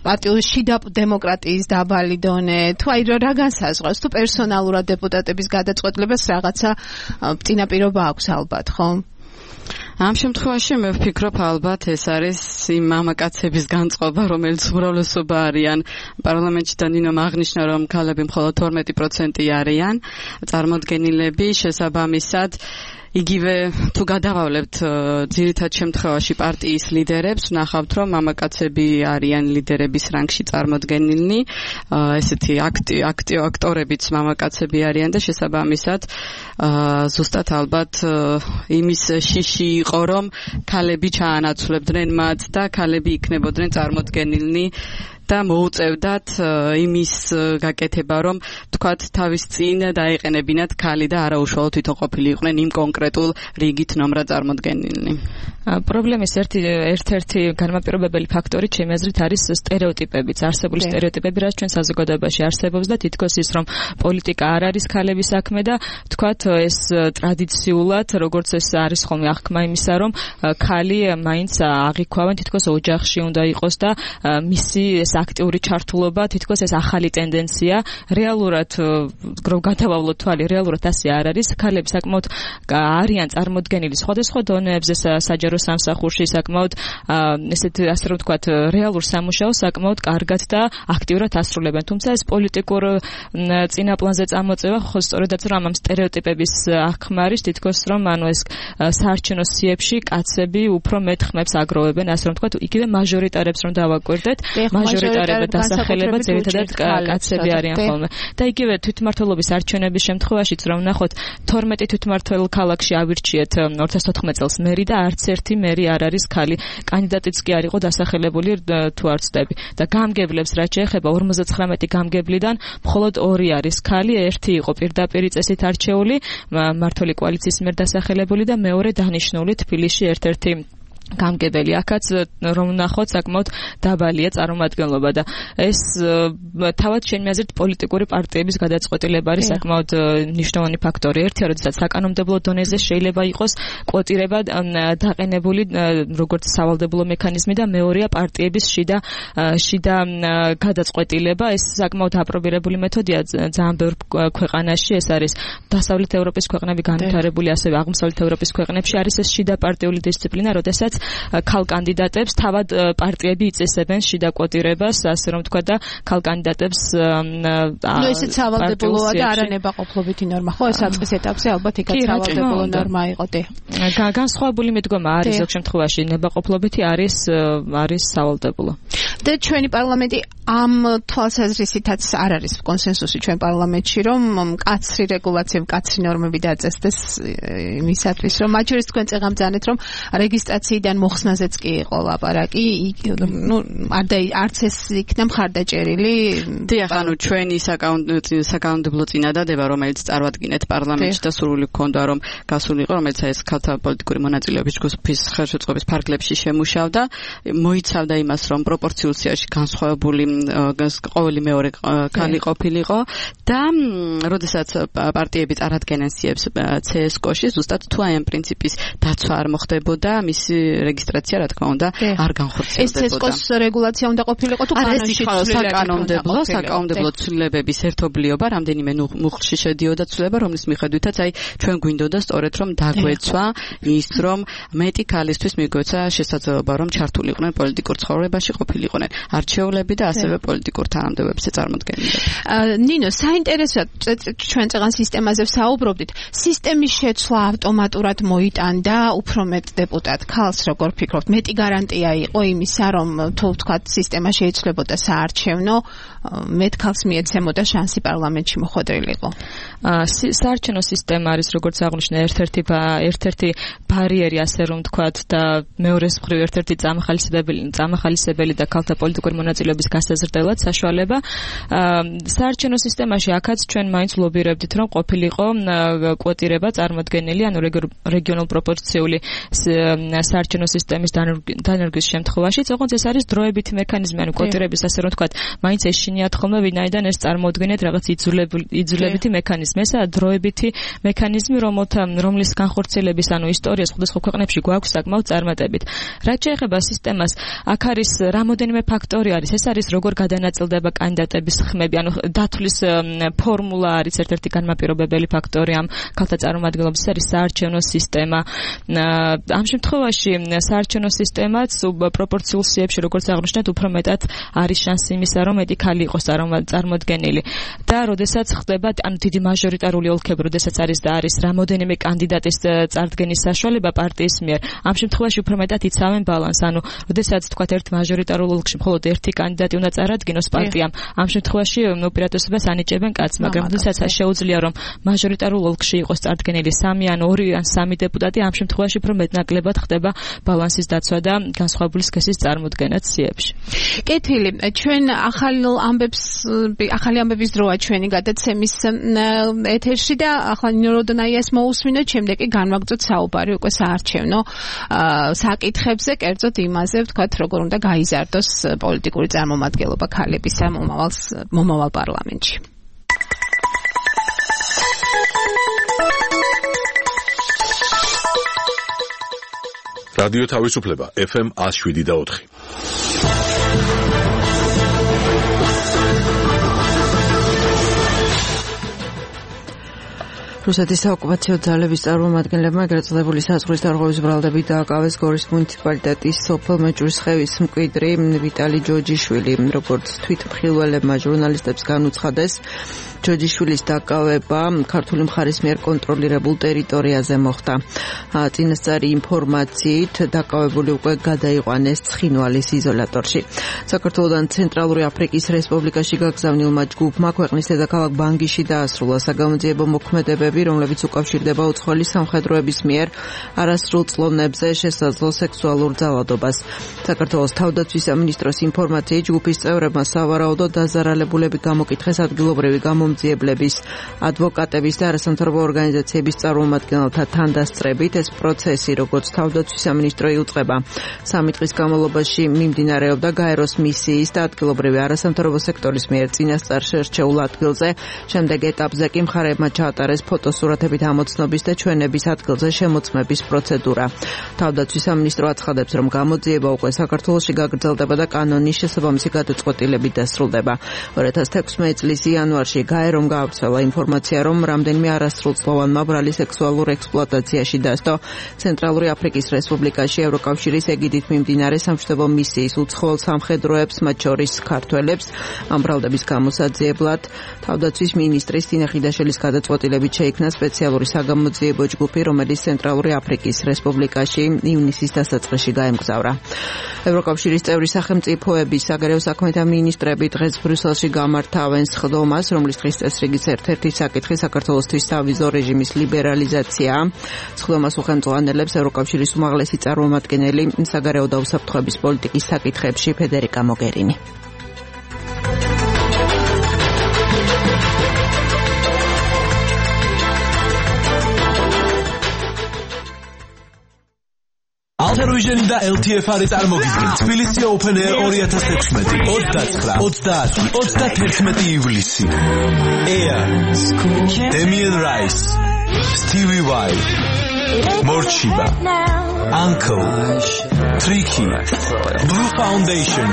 პარტიის შიდა დემოკრატიის დაბალი დონე, თუ აი რა განსაზღვრავს, თუ პერსონალურად დეპუტატების გადაწყვეტილებას რაღაცა წინაპირობა აქვს ალბათ, ხო? ამ შემთხვევაში მე ვფიქრობ ალბათ ეს არის იმ მამაკაცების განწყობა, რომელიც უმრავლესობა არიან პარლამენტში და ნინომ აღნიშნა, რომ ქალები მხოლოდ 12% არიან წარმოდგენილები, შესაბამისად იგივე თუ გადავავლებთ ძირითად შემთხვევაში პარტიის ლიდერებს, ნახავთ, რომ მამაკაცები არიან ლიდერების რანგში წარმოდგენილნი, ესეთი აქტიორებიც მამაკაცები არიან და შესაბამისად ზუსტად ალბათ იმის შიში იყო, რომ ქალები ჩაანაცვლებდნენ მათ და ქალები იქნებოდნენ წარმოდგენილნი და მოუწევდათ იმის გაკეთება, რომ თქვათ თავის წინ დაეყენებინათ ქალი და არა უშუალოდ თვითონ ყოფილიყვნენ იმ კონკრეტულ რიგით ნომრად წარმოდგენილნი. პრობლემის ერთ-ერთი განმაპირობებელი ფაქტორი ჩემი აზრით არის სტერეოტიპებიც, არსებული სტერეოტიპები, რაც ჩვენ საზოგადოებაში არსებობს და თითქოს ის, რომ პოლიტიკა არ არის ქალების საქმე და თქვათ ეს ტრადიციულად, როგორც ეს არის ხოლმე აღქმა იმისა, რომ ქალი მაინც აღიქვავენ, თითქოს ოჯახში უნდა იყოს და მისი აქტიური ჩართულობა, თითქოს ეს ახალი ტენდენცია, რეალურად რომ გადავავლოთ თვალი, რეალურად ასე არ არის. ქალები საკმაოდ არიან წარმოდგენილი სხვადასხვა დონეებზე საჯარო სამსახურში, საკმაოდ ესეთ ასე რომ ვთქვათ, რეალურ სამუშაოს საკმაოდ კარგად და აქტიურად ასრულებენ. თუმცა ეს პოლიტიკურ წინაპლანზე წამოწევა ხო სწორედაც რომ ამ სტერეოტიპების აღქმა არის, თითქოს რომ ეს საარჩევნო სიებში კაცები უფრო მეტ ხმებს აგროვებენ, ასე რომ ვთქვათ, იგივე მაჟორიტარებს რომ დავაკვირდეთ, მაჟორიტარებად დასახელება ძირითადად კაცები არიან ხოლმე. და იგივე თვითმმართველობის არჩევნების შემთხვევაშიც რომ ნახოთ 12 თვითმმართველ ქალაქში ავირჩიეთ 2014 წელს მერი და არც ერთი მერი არ არის ქალი. კანდიდატიც კი არ იყო დასახელებული თუ არ ვცდები. და გამგებლებს რაც შეეხება 59 გამგებლიდან მხოლოდ 2 არის ქალი, ერთი იყო პირდაპირი წესით არჩეული მმართველი კოალიციის მიერ დასახელებული და მეორე დანიშნული თბილისში ერთ-ერთი გამგებელი. აქაც რომ ნახოთ საკმაოდ დაბალია წარმომადგენლობა და ეს თავად ჩემი აზრით პოლიტიკური პარტიების გადაწყვეტილება არის საკმაოდ მნიშვნელოვანი ფაქტორი. ერთია, როდესაც საკანონმდებლო დონეზე შეიძლება იყოს კვოტირება დაყენებული როგორც სავალდებულო მექანიზმი და მეორეა პარტიების შიდა გადაწყვეტილება. ეს საკმაოდ აპრობირებული მეთოდია ძალიან ბევრ ქვეყანაში. ეს არის დასავლეთ ევროპის ქვეყნები, განვითარებული ასევე აღმოსავლეთ ევროპის ქვეყნებში არის ეს შიდა პარტიული დისციპლინა, როდესაც ქალ კანდიდატებს თავად პარტიები იწესებენ შიდა კვოტირებას, ასე რომ თქვა და ქალ კანდიდატებს ესეც სავალდებულოა და არა ნებაყოფლობითი ნორმა. ხო, ეს საწყის ეტაპზე ალბათ იქაც სავალდებულო ნორმა იყო. განსხვავებული მიდგომა არის ზოგ შემთხვევაში ნებაყოფლობითი არის სავალდებულო. და ჩვენი პარლამენტი ამ თვალსაზრისითაც არ არის კონსენსუსი ჩვენ პარლამენტში, რომ მკაცრი რეგულაცია, მკაცრი ნორმები დაწესდეს იმისათვის, რომ მათ შორის თქვენ წეღამ ძანეთ, რომ რეგისტრაციიდან მოხსნაზეც კი იყო ლაპარაკი, არც ეს იქნა მხარდაჭერილი. დიახ, ანუ ჩვენი საკანონმდებლო წინადადება, რომელიც წარვადგინეთ პარლამენტში და სურვილი გქონდა, რომ გასულიყო, რომელიც ეს ქალთა პოლიტიკური მონაწილეობის ჯგუფის ხელშეწყობის ფარგლებში შემუშავდა, მოიცავდა იმას, რომ პროპორციულ სიაში განსხვავებული ყოველი მეორე ქალი ყოფილიყო და როდესაც პარტიები წარადგენენ სიებს CSKO-ში, ზუსტად თუ აი ამ პრინციპის დაცვა არ მოხდებოდა, მისი რეგისტრაცია რა თქმა უნდა არ განხორციელდებოდა. ეს CSKO-ს რეგულაცია უნდა ყოფილიყო თუ კანონში საკანონმდებლო ცვლილებების ერთობლიობა, რამდენიმე მუხლში შედიოდა ცვლილება, რომლის მიხედვითაც აი ჩვენ გვინდოდა სწორედ რომ დაგვეცვა ის, რომ მეტი ქალისთვის მიგვეცა შესაძლებლობა, რომ ჩართულიყვნენ პოლიტიკურ ცხოვრებაში, ყოფილიყვნენ არჩეულები და ასევე პოლიტიკურ თანამდებობებზე წარმოდგენილები. ნინო, საინტერესოა ჩვენ წეღან სისტემაზე ვსაუბრობდით. სისტემის შეცვლა ავტომატურად მოიტანდა უფრო მეტ დეპუტატ ქალს როგორ ფიქრობთ, მეტი გარანტია იყო იმისა, რომ თუ ვთქვათ, სისტემა შეიცვლებოდა საარჩევნო, მეტ ქალს მიეცემოდა შანსი პარლამენტში მოხვედრილიყო. საარჩევნო სისტემა არის, როგორც აღნიშნა, ერთ-ერთი ბარიერი, ასე რომ ვთქვათ, და მეორეს მხრივ ერთ-ერთი წამახალისებელი და ქალთა პოლიტიკური მონაწილეობის გასაზრდელად საშუალება. საარჩევნო სისტემაში აქაც ჩვენ მაინც ლობირებდით, რომ ყოფილიყო კვოტირება წარმოდგენილი, ანუ რეგიონულ პროპორციული საარჩევნო სისტემის დანერგვის შემთხვევაში, თუმცა ეს არის დროებითი მექანიზმი, ანუ კვოტირების, ასე რომ ვთქვათ, მაინც ეშინიათ ხოლმე, ვინაიდან ეს წარმოუდგენიათ რაღაც იძულებითი მექანიზმი. ესაა დროებითი მექანიზმი, რომლის განხორციელების, ანუ ისტორია სხვადასხვა ქვეყნებში გვაქვს საკმაოდ წარმატებით. რაც შეეხება სისტემას, აქ არის რამოდენიმე ფაქტორი არის. ეს არის როგორ გადანაწილდება კანდიდატების ხმები, ანუ დათვლის ფორმულა არის ერთ-ერთი განმაპირობებელი ფაქტორი ამ ქალთა წარმომადგენლობის, არის საარჩევნო სისტემა. ამ შემთხვევაში საარჩევნო სისტემაც პროპორციულ სიებში, როგორც აღნიშნეთ, უფრო მეტად არის შანსი იმისა, რომ მეტი ქალი იყოს წარმოდგენილი. და როდესაც ხდება, ანუ დიდი მაჟორიტარული ოლქები, როდესაც არის და არის რამოდენიმე კანდიდატის წარდგენის საშუალება პარტიის მიერ, ამ შემთხვევაში უფრო მეტად იცავენ ბალანს, ანუ როდესაც თქვათ ერთ მაჟორიტარულ ოლქში მხოლოდ ერთი კანდიდატი უნდა წარადგინოს პარტიამ, ამ შემთხვევაში უპირატესობას ანიჭებენ კაცს, მაგრამ როდესაც შეუძლია რომ მაჟორიტარულ ოლქში იყოს წარდგენილი 3 ან 2 ან 3 დეპუტატი, ამ შემთხვევაში უფრო მეტნაკლებად ხდება ბალანსის დაცვა და განსხვავებული სქესის წარმოდგენა ციებში. კეთილი, ჩვენ ახალი ამბების დროა ჩვენი გადაცემის ეთერში და ახლა ნინო როდონაიას მოусმინოთ, შემდეგ კი განვაგრძოთ საუბარი უკვე საარჩევნო საკითხებზე, კერძოდ იმაზე, ვთქვათ, როგორ უნდა გაიზარდოს პოლიტიკური წარმომადგენლობა ქალებისა მომავალ პარლამენტში. რადიო თავისუფლება FM 107.4. რუსეთის საოკუპაციო ძალების წარმომადგენლებმა ეგრეთ წოდებული საზღვრის დარღვევის ბრალდებით დააკავეს გორის მუნიციპალიტეტის სოფელ მეჭვრისხევის მკვიდრი ვიტალი ჯოჯიშვილი. როგორც თვითმხილველებმა ჟურნალისტებს განუცხადეს, ჯოჯიშვილის დაკავება ქართული მხარის მიერ კონტროლირებულ ტერიტორიაზე მოხდა. წინასწარი ინფორმაციით დაკავებული უკვე გადაიყვანეს ცხინვალის იზოლატორში. საქართველოდან ცენტრალური აფრიკის რესპუბლიკაში გაგზავნილმა ჯგუფმა ქვეყნის დედაქალაქ ბანგიში დაასრულა საგამოძიებო მოქმედებები, რომლებიც უკავშირდება უცხოელი სამხედროების მიერ არასრულ წლოვნებზე შესაძლო სექსუალურ ძალადობას. საქართველოს თავდაცვის სამინისტროს ინფორმაციით ჯგუფის წევრებმა სავარაუდო დაზარალებულები გამოკითხეს ადგილობრივი გამომძიებლების, ადვოკატების და არასამთავრობო ორგანიზაციების წარმომადგენელთა თანდასწრებით. ეს პროცესი, როგორც თავდაცვის სამინისტრო იუწყება, 3 დღის განმავლობაში მიმდინარეობდა გაეროს მისიის და ადგილობრივი არასამთავრობო სექტორის მიერ წინასწარ შერჩეულ ადგილზე. შემდეგ ეტაპზე კი მხარეებმა ჩაატარეს ფოტოსურათებით ამოცნობის და ჩვენების ადგილზე შემოწმების პროცედურა. თავდაცვის სამინისტრო აცხადებს, რომ გამოძიება უკვე საქართველოში გაგრძელდება და კანონის შესაბამისი გადაწყვეტილებით დასრულდება. 2016 წლის იანვარში გაერომ გაავრცელა ინფორმაცია, რომ რამდენიმე არასრულწლოვანმა ბრალი სექსუალურ ექსპლუატაციაში დასდო ცენტრალური აფრიკის რესპუბლიკაში ევროკავშირის ეგიდით მიმდინარე სამშვიდობო მისიის უცხოელ სამხედროებს, მათ შორის ქართველებს. ამ ბრალდების გამოსაძიებლად თავდაცვის მინისტრის თინა ხიდაშელის გადაწყვეტილებით შეიქმნა სპეციალური საგამოძიებო ჯგუფი, რომელიც ცენტრალური აფრიკის რესპუბლიკაში ივნისის დასაწყისში გაემგზავრა. ევროკავშირის წევრი სახელმწიფოების საგარეო საქმეთა მინისტრები დღეს ბრიუსელში გამართავენ სხდომას, რომლის დღის წესრიგის ერთ-ერთი საკითხი საქართველოსთვის სავიზო რეჟიმის ლიბერალიზაციაა. სხდომას უხელმძღვანელებს ევროკავშირის უმაღლესი წარმომადგენელი საგარეო და უსაფრთხოების პოლიტიკის საკითხებში ფედერიკა მოგერინი. Alter-Vision და LTF-ი წარმოგიდგენ თბილისი Open Air 2016 29-31 ივლისი. Air, Damien Rice, Stevie Y, Morchiba, Uncle, Tricky, Blue Foundation,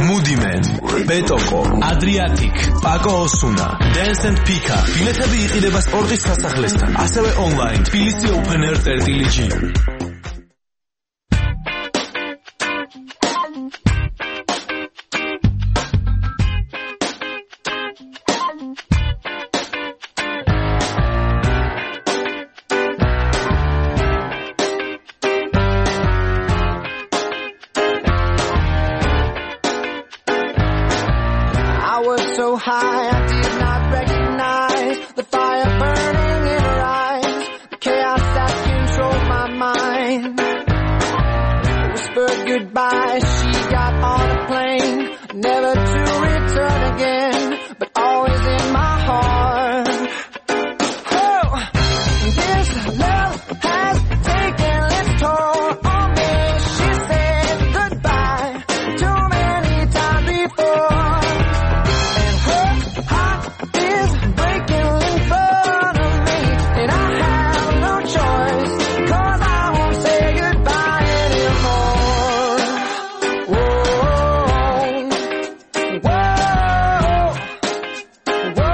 Moody Man, Betoko, Adriatic, Paco Osuna, Dance and Pika. ბილეთები იყიდება სპორტის სასახლესთან, ასევე online თბილისი Open Air.gr. high, I did not recognize the fire burning in her eyes, the chaos that controlled my mind. Whispered goodbye, she got on a plane, never to return again, but always in my heart. Oh, this love has taken its toll on me. She said goodbye too many times before, and her heart is breaking in front of me, and I have no choice, 'cause I won't say goodbye anymore. Whoa, whoa, whoa.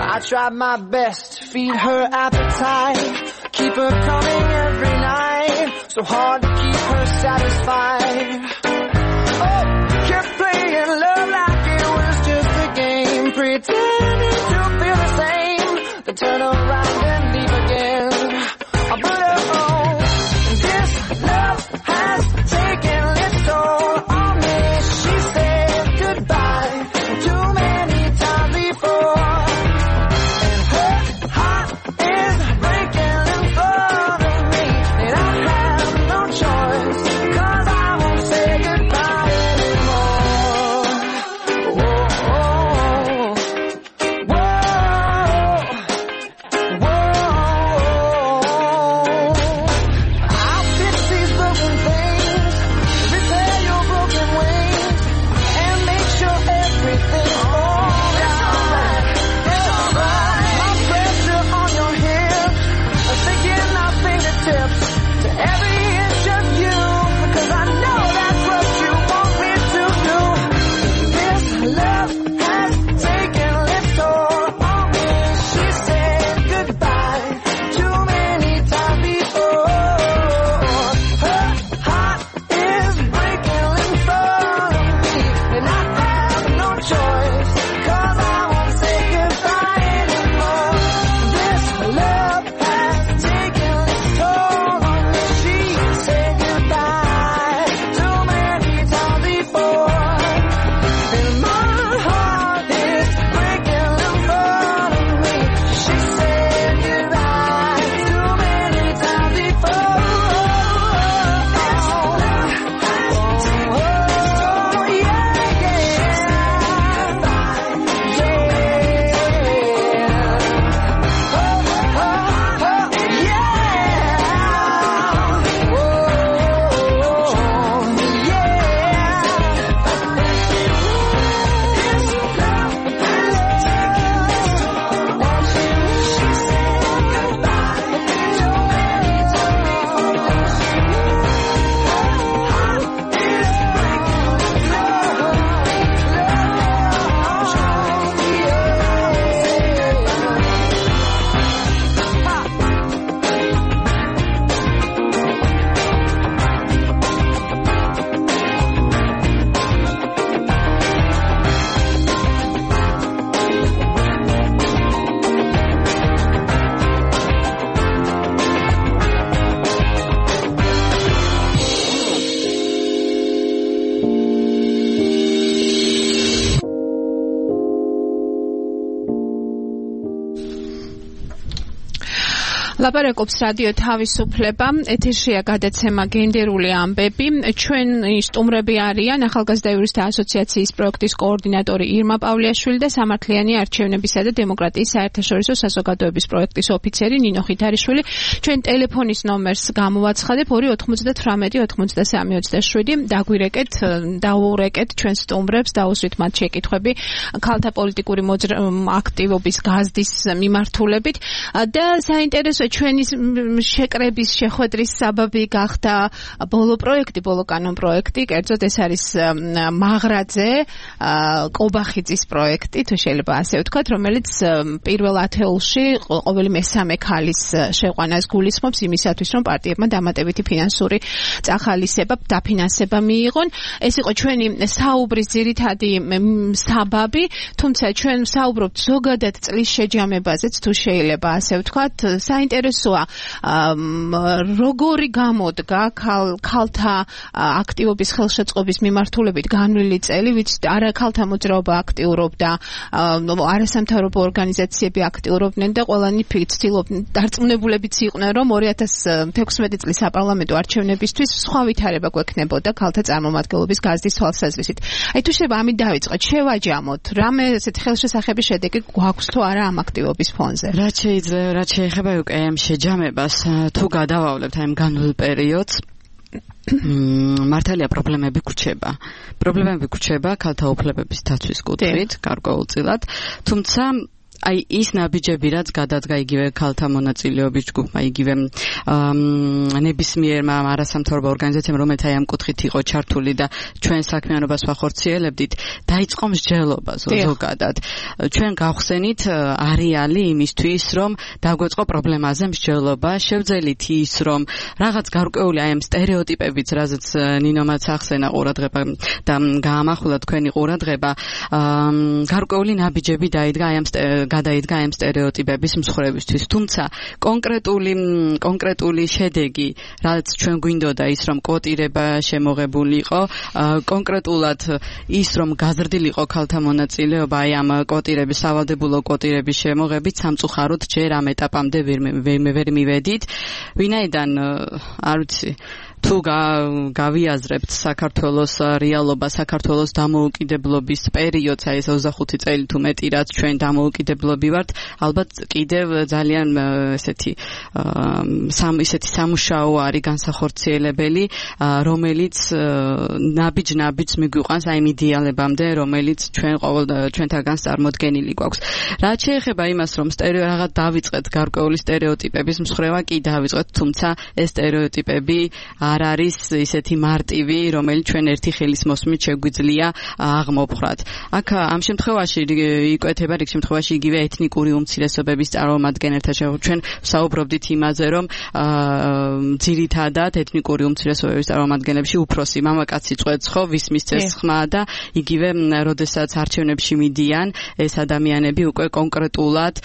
I tried my best to feed her appetite, keep her coming every night, so hard to keep her satisfied. Oh, kept playing love like it was just a game, pretending to feel the same, then turn around and leave again. But oh, this love has taken its toll on me. She said goodbye too many times before, and her heart is breaking in front of me, and I have no choice, 'cause I won't say goodbye anymore. Whoa, whoa, I'll fix these broken things, repair your broken wings, and make sure everything's alright. It's alright. My pressure on your hips, thinking our fingertips to every inch of you, because I know that's what you want me to do. This love has taken its toll on me. She said goodbye too many times before. Her heart is breaking in front of me, and I have no choice, 'cause I won't say goodbye anymore. This love has taken its toll on me. She said goodbye too many times before, and my heart is breaking in front of me. She said goodbye too many times before. ლაპარაკობს რადიო თავისუფლება, ეთერშია გადაცემა გენდერული ამბები. ჩვენი სტუმრები არიან ახალგაზრდა იურისტთა ასოციაციის პროექტის კოორდინატორი ირმა პავლიაშვილი და სამართლიანი არჩევნებისა და დემოკრატიის საერთაშორისო საზოგადოების პროექტის ოფიცერი ნინო ხითარიშვილი. ჩვენ ტელეფონის ნომერს გამოვაცხადებ 298-93-27. დაურეკეთ ჩვენ სტუმრებს, დაუსვით მათ შეკითხვები ქალთა პოლიტიკური აქტივობის გაზდის მიმართულებით და საინტერესო ჩვენი შეკრების შეხვედრის საბაბი გახდა ბოლო კანონ პროექტი, კერძოდ ეს არის მაღრაძე კობახიძის პროექტი, თუ შეიძლება ასე ვთქვათ, რომელიც პირველ ათეულში ყოველი მესამე ქალის შეყვანას გულისხმობს იმისათვის, რომ პარტიებმა დამატებითი ფინანსური დაფინანსება მიიღონ. ეს იყო ჩვენი საუბრის ძირითადი საბაბი, თუმცა ჩვენ საუბრობთ ზოგადად წლის შეჯამებაზეც, თუ შეიძლება ასე ვთქვათ. საინტერესო საინტერესოა როგორი გამოდგა ქალთა აქტივობის ხელშეწყობის მიმართულებით განვლილი წელი, ვიცით, არა ქალთა მოძრაობა აქტიურობდა, არასამთავრობო ორგანიზაციები აქტიურობდნენ და ყველანი ცდილობდნენ, დარწმუნებულებიც იყვნენ, რომ 2016 წლის საპარლამენტო არჩევნებისთვის სხვა ვითარება გვექნებოდა ქალთა წარმომადგენლობის გაზრდის თვალსაზრისით. აი თუ შეიძლება ამით დავიწყოთ, შევაჯამოთ, რამე ესეთ ხელშესახები შედეგი გვაქვს თუ არა ამ აქტივობის ფონზე. რაც შეეხება უკვე ამ შეჯამებას, თუ გადავავლებთ ამ განვლილ პერიოდს, მართალია პრობლემები გვრჩება ქალთა უფლებების დაცვის კუთხით გარკვეულწილად, თუმცა აი ის ნაბიჯები რაც გადადგა იგივე ქალთა მონაწილეობის ჯგუფმა, იგივე ნებისმიერმა არასამთავრობო ორგანიზაციამ, რომელიც აი ამ კუთხით იყო ჩართული და ჩვენ საქმიანობას ვახორციელებდით, დაიწყო მსჯელობა ზოგადად. ჩვენ გავხსენით არეალი იმისთვის, რომ დაგვეწყო პრობლემაზე მსჯელობა, შევძელით ის, რომ რაღაც გარკვეული აი ამ სტერეოტიპებიც, რაზეც ნინომაც ახსენა ყურადღება და გაამახვილა თქვენი ყურადღება, გარკვეული ნაბიჯები გადაიდგა ამ სტერეოტიპების მსხვერებისთვის. თუმცა კონკრეტული შედეგი, რაც ჩვენ გვინდოდა ის, რომ კვოტირება შემოღებული იყო, კონკრეტულად ის, რომ გაზრდილიყო ქალთა მონაწილეობა აი ამ კვოტირების, სავალდებულო კვოტირების შემოღებით, სამწუხაროდ ჯერ ამ ეტაპამდე ვერ მივედით. ვინაიდან არ ვიცი, თუ გავიაზრებთ საქართველოს რეალობა, საქართველოს დამოუკიდებლობის პერიოდს, აი ეს 25 წელი თუ მეტი, რაც ჩვენ დამოუკიდებლობი ვართ, ალბათ კიდევ ძალიან ესეთი სამუშაო არის განსახორციელებელი, რომელიც ნაბიჯ-ნაბიჯს მიგვიყვანს აი იმ იდეალებამდე, რომელიც ჩვენთაგან წარმოდგენილი გვაქვს. რაც შეეხება იმას, რომ რაღაც დავიწყეთ გარკვეული სტერეოტიპების მსხვერპლობა, კი დავიწყეთ, თუმცა ეს სტერეოტიპები არ არის ისეთი მარტივი, რომელიც ჩვენ ერთი ხელის მოსმით შეგვიძლია აღმოფხრათ. აქ ამ შემთხვევაში იკვეთება რიგ შემთხვევაში იგივე ეთნიკური უმცირესობების წარმომადგენელთა ჩვენ საუბრობდით იმაზე, რომ ძირითადად ეთნიკური უმცირესობების წარმომადგენლებში უფროსი მამაკაცი წვეთს ხო, ვის მისცეს ხმა და იგივე როდესაც არჩევნებში მიდიან, ეს ადამიანები უკვე კონკრეტულად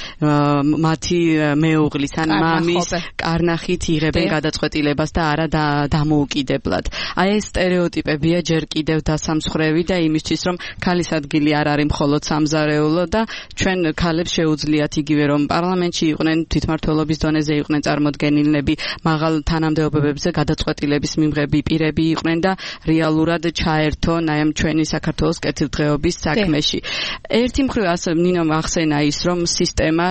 მათი მეუღლის ან მამის კარნახით იღებენ გადაწყვეტილებას და არა დამოუკიდებლად. აი ეს სტერეოტიპებია ჯერ კიდევ დასამსხვრევი და იმისთვის, რომ ქალის ადგილი არ არის მხოლოდ სამზარეულო და ჩვენ ქალებს შეუძლიათ იგივე რომ პარლამენტში იყვნენ, თვითმმართველობის დონეზე იყვნენ წარმოდგენილნები, მაღალ თანამდებობებზე გადაწყვეტილების მიმღები პირები იყვნენ და რეალურად ჩაერთონ აი ამ ჩვენი საქართველოს კეთილდღეობის საქმეში. ერთი მხრივ ასე ნინომ ახსენა ის, რომ სისტემა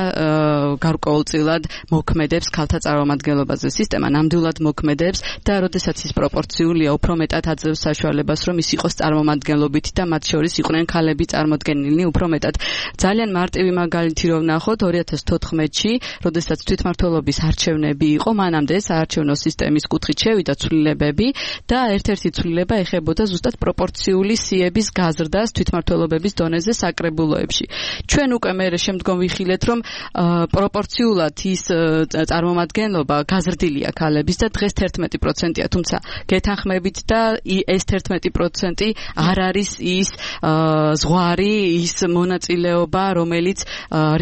გარკვეულწილად მოქმედებს ქალთა წარმომადგენლობაზე. სისტემა ნამდვილად მოქმედებს და როდესაც ის პროპორციულია, უფრო მეტად აძლევს საშუალებას, რომ ის იყოს წარმომადგენლობით და მათ შორის იყვნენ ქალები წარმოდგენილნი უფრო მეტად. ძალიან მარტივი მაგალითი რომ ვნახოთ 2014-ში, როდესაც თვითმმართველობის არჩევნები იყო, მანამდე საარჩევნო სისტემის კუთხით შევიდა ცვლილებები და ერთ-ერთი ცვლილება ეხებოდა ზუსტად პროპორციული სიების გაზრდას თვითმმართველობების დონეზე საკრებულოებში. ჩვენ უკვე მე შემდგომ ვიხილეთ, რომ პროპორციულად ის წარმომადგენლობა გაზრდილია ქალების და დღეს 11%-ია, თუმცა გეთანხმებით და ეს 11% არ არის ის ზღვარი, ის მონაწილეობა, რომელიც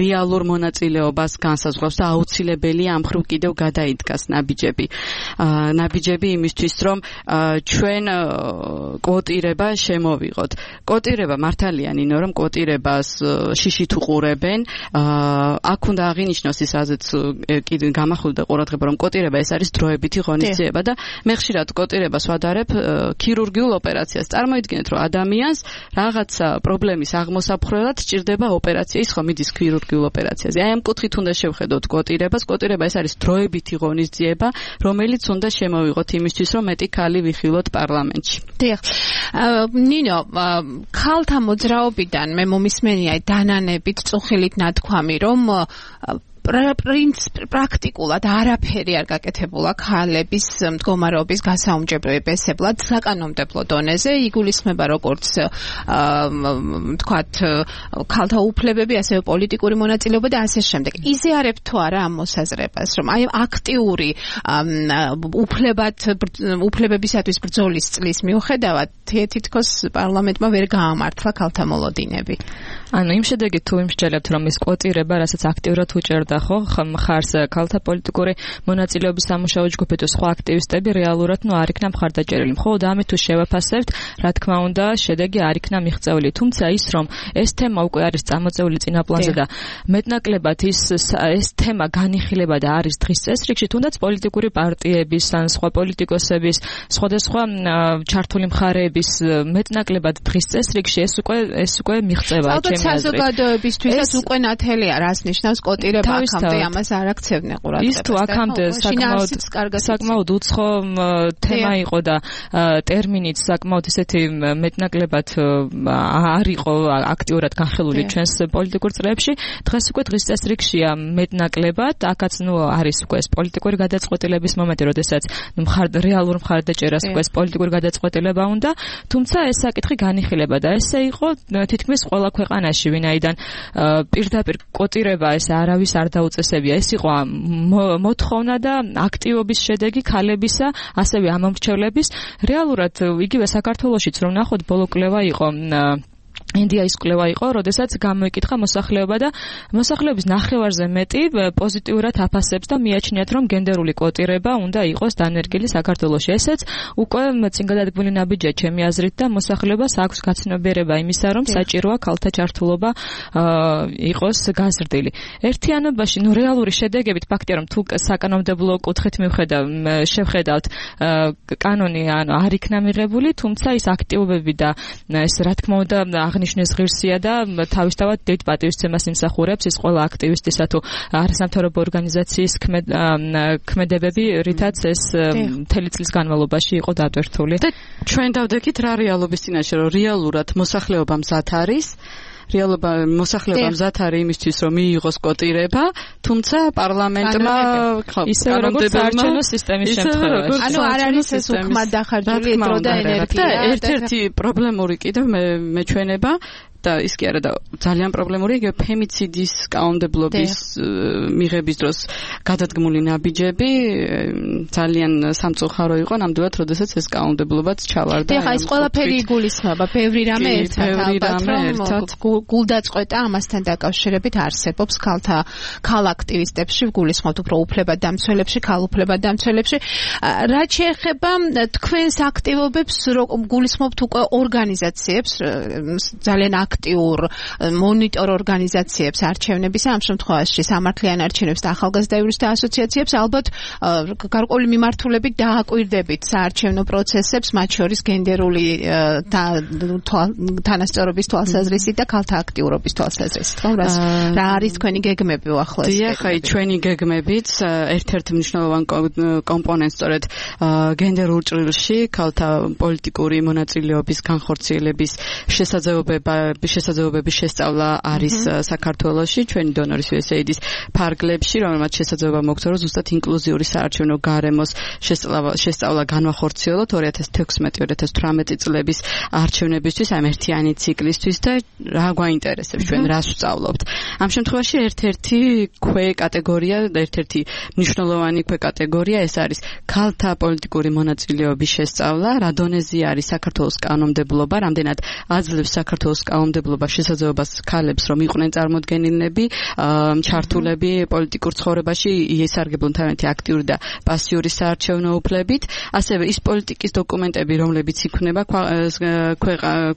რეალურ მონაწილეობას განსაზღვრავს და აუცილებელია ამ ხრივ კიდევ გადაიდგას ნაბიჯები იმისთვის, რომ ჩვენ კვოტირება შემოვიღოთ. კვოტირება მართალია ნინო, რომ კვოტირებას შიშით უყურებენ. აქ უნდა აღინიშნოს ის, რაზეც კიდე გამახვილდა ყურადღება, რომ კვოტირება ეს არის დროებითი ღონისძიება და მე ხშირად კვოტირებას ვადარებ ქირურგიულ ოპერაციას. წარმოიდგინეთ, რომ ადამიანს რაღაცა პრობლემის აღმოსაფხვრელად სჭირდება ოპერაცია, ის ხომ მიდის ქირურგიულ ოპერაციაზე. აი ამ კუთხით უნდა შევხედოთ კვოტირებას. კვოტირება ეს არის დროებითი ღონისძიება, რომელიც უნდა შემოვიღოთ იმისთვის, რომ მეტი ქალი ვიხილოთ პარლამენტში. დიახ. ნინო, ქალთა მოძრაობიდან მე მომისმენია დანანებით წუხილით ნათქვამი, რომ პრაქტიკულად არაფერი არ გაკეთებულა ქალების მდგომარეობის გასაუმჯობესებლად საკანონმდებლო დონეზე. იგულისხმება როგორც თქვათ ქალთა უფლებები, ასევე პოლიტიკური მონაწილეობა და ასე შემდეგ. იზიარებთ თუ არა ამ მოსაზრებას, რომ აი აქტიური უფლებებისათვის ბრძოლის წლის მიუხედავად თითქოს პარლამენტმა ვერ გაამართლა ქალთა მოლოდინები. ანუ იმ შედეგით თუ იმსჯელებთ, რომ ის კვოტირება, რასაც აქტიურად უჭერდა ხო მხარს ქალთა პოლიტიკური მონაწილეობის სამუშაო ჯგუფი თუ სხვა აქტივისტები რეალურად არ იქნა მხარდაჭერილი. მხოლოდ ამით თუ შევაფასებთ, რა თქმა უნდა, შედეგი არ იქნა მიღწეული. თუმცა ის რომ ეს თემა უკვე არის წამოწეული წინაპლანზე და მეტნაკლებად ეს თემა განიხილება და არის დღის წესრიგში, თუნდაც პოლიტიკური პარტიების ან სხვა პოლიტიკოსების, სხვადასხვა ჩართული მხარეების მეტნაკლებად დღის წესრიგში ეს უკვე მიღწევა ჩემი აზრით. საზოგადოებისთვისაც უკვე ნათელია, რას ნიშნავს კოტირება აქამდე ამას არ აქცევდნენ ყურადღებას. ის თუ აქამდე საკმაოდ უცხო თემა იყო და ტერმინიც საკმაოდ ისეთი მეტნაკლებად არ იყო აქტიურად განხილული ჩვენს პოლიტიკურ წრეებში, დღეს უკვე დღის წესრიგშია მეტნაკლებად, აქაც არის უკვე ეს პოლიტიკური გადაწყვეტილების მომენტი, როდესაც რეალურ მხარდაჭერას უკვე ეს პოლიტიკური გადაწყვეტილება უნდა, თუმცა ეს საკითხი განიხილება და ესე იყო თითქმის ყველა ქვეყანაში, ვინაიდან პირდაპირ კოტირება ეს არავის არ დაუწესებია. ეს იყო მოთხოვნა და აქტივობის შედეგი ქალებისა, ასევე ამომრჩევლების. რეალურად იგივე საქართველოშიც რომ ნახოთ, ბოლო კვლევა იყო ინდიის კვლევა იყო, როდესაც გამოიკითხა მოსახლეობა და მოსახლეობის ნახევარზე მეტი პოზიტიურად აფასებს და მიაჩნიათ, რომ გენდერული კოტირება უნდა იყოს დანერგილი საქართველოში. ესეც უკვე წინგადადგმული ნაბიჯია ჩემი აზრით და მოსახლეობას აქვს გაცნობიერება იმისა, რომ საჭიროა ქალთა ჩართულობა იყოს გაზრდილი. ერთიანობაში, რეალური შედეგებით ფაქტია, რომ თუ საკანონმდებლო კუთხით შევხედავთ, კანონი არ იქნა მიღებული, თუმცა ის აქტივობები და ეს რა თქმა უნდა აღნიშნეს ღირსია და თავისთავად დიდ პატივისცემას იმსახურებს ის ყველა აქტივისტისა თუ არასამთავრობო ორგანიზაციის ქმედებები, რითაც ეს მთელი წლის განმავლობაში იყო დატვირთული. და ჩვენ დავდექით რა რეალობის წინაშე, რომ რეალურად მოსახლეობა მზად არის, მოსახლეობა მზად არის იმისთვის, რომ მიიღოს კოტირება, თუმცა პარლამენტმა ისე როგორც საარჩევნო სისტემის შემთხვევაში. ანუ არ არის ეს უკმად დახარჯული დრო და ენერგია. და ერთ-ერთი პრობლემური კიდევ მეჩვენება და ის კი არა და ძალიან პრობლემური იგივე ფემიციდის კანონმდებლობის მიღების დროს გადადგმული ნაბიჯები ძალიან სამწუხარო იყო ნამდვილად, როდესაც ეს კანონმდებლობაც ჩავარდა. ეხლა ეს ყველაფერი იგულისხმება, ბევრი რამე ერთად, გულდაწყვეტა ამასთან დაკავშირებით არსებობს ქალ აქტივისტებში, გულისხმობთ უფრო უფლებადამცველებში, ქალ უფლებადამცველებში. რაც შეეხება თქვენს აქტივობებს, გულისხმობთ უკვე ორგანიზაციებს, ძალიან აქტიურ მონიტორ ორგანიზაციებს არჩევნების, ამ შემთხვევაში სამართლიან არჩევნებს და ახალგაზრდა იურისტთა ასოციაციებს, ალბათ გარკვეული მიმართულებით დააკვირდებით საარჩევნო პროცესებს, მათ შორის გენდერული თანასწორობის თვალსაზრისით და ქალთა აქტიურობის თვალსაზრისით. რა არის თქვენი გეგმები უახლოეს? დიახ, ჩვენი გეგმებიც ერთ-ერთ მნიშვნელოვან კომპონენტს სწორედ გენდერულ ჭრილში ქალთა პოლიტიკური მონაწილეობის განხორციელების შესაძლებლობების შესწავლა არის საქართველოში, ჩვენი დონორის USAID-ის ფარგლებში, რომელმაც შესაძლებლობა მოგცა, რომ ზუსტად ინკლუზიური საარჩევნო გარემოს შესწავლა განვახორციელოთ 2016-2018 წლების არჩევნებისთვის, ამ ერთიანი ციკლისთვის და რა გვაინტერესებს, ჩვენ რას ვსწავლობთ. ამ შემთხვევაში ერთ-ერთი ქვეკატეგორია და ერთ-ერთი მნიშვნელოვანი ქვეკატეგორია ეს არის ქალთა პოლიტიკური მონაწილეობის შესწავლა, რა დონეზე არის საქართველოს კანონმდებლობა, რამდენად აძლევს საქართველოს კანონმდებლობა შესაძლებლობას ქალებს, რომ იყვნენ წარმოდგენილნები, ჩართულები პოლიტიკურ ცხოვრებაში, იესარგებლონ თავიანთი აქტიური და პასიური საარჩევნო უფლებით, ასევე ის პოლიტიკის დოკუმენტები, რომლებიც იქმნება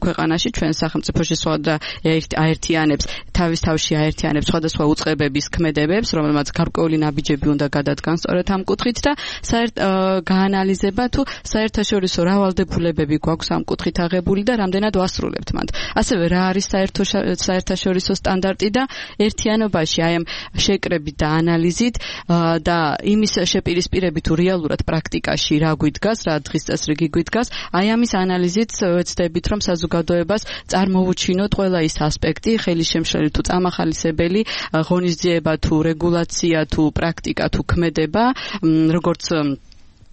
ქვეყანაში, ჩვენ სახელმწიფოში და აერთიანებს, თავის თავში აერთიანებს სხვადასხვა უწყებების ქმედებებს, რომელმაც გარკვეული ნაბიჯები უნდა გადადგან სწორედ ამ კუთხით და გაანალიზება თუ საერთაშორისო რავალდებულებები გვაქვს ამ კუთხით აღებული და რამდენად ვასრულებთ მათ. ასევე რა არის საერთაშორისო სტანდარტი და ერთიანობაში აი ამ შეკრებით და ანალიზით და იმის შეპირისპირებით თუ რეალურად პრაქტიკაში რა გვიდგას, რა დღის წესრიგი გვიდგას, აი ამის ანალიზით ვეცდებით, რომ საზოგადოებას წარმოვუჩინოთ ყველა ის ასპექტი, ხელისშემშლელი თუ წამახალისებელი, ღონისძიება თუ რეგულაცია თუ პრაქტიკა თუ ქმედება, როგორც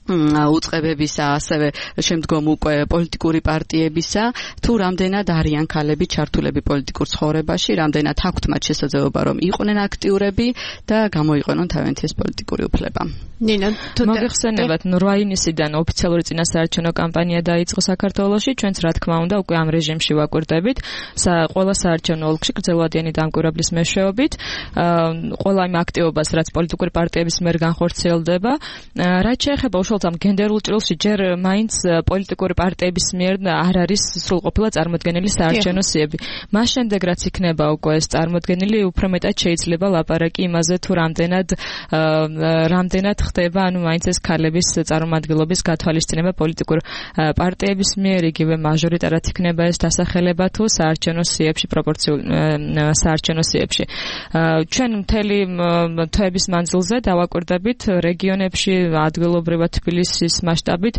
უწყებებისა, ასევე შემდგომ უკვე პოლიტიკური პარტიებისა, თუ რამდენად არიან ქალები ჩართულები პოლიტიკურ ცხოვრებაში, რამდენად აქვთ მათ შესაძლებლობა რომ იყვნენ აქტიურები და გამოიყენონ თავიანთი ეს პოლიტიკური უფლება. ნინო, მოგეხსენებათ 8 ივნისიდან ოფიციალური წინასაარჩევნო კამპანია დაიწყო საქართველოში, ჩვენც რა თქმა უნდა უკვე ამ რეჟიმში ვაკვირდებით, ყველა საარჩევნო ოლქში გრძელვადიანი დამკვირვებლის მეშვეობით, ყველა იმ აქტივობას, რაც პოლიტიკური პარტიების მიერ განხორციელდება, რაც შეეხება უშუალოდ ამ გენდერულ ჭრილში, ჯერ მაინც პოლიტიკური პარტიების მიერ არ არის სრულყოფილად წარმოდგენილი საარჩევნო სიები. მას შემდეგ რაც იქნება უკვე ეს წარმოდგენილი, უფრო მეტად შეიძლება ლაპარაკი იმაზე, თუ რამდენად ხდება, ანუ მაინც ეს ქალების წარმომადგენლობის გათვალისწინება პოლიტიკურ პარტიების მიერ, იგივე მაჟორიტარად იქნება ეს დასახელება თუ საარჩევნო სიებში, პროპორციულ საარჩევნო სიებში. ჩვენ მთელი თვეების მანძილზე დავაკვირდებით რეგიონებში, ადგილობრივად თბილისის მასშტაბით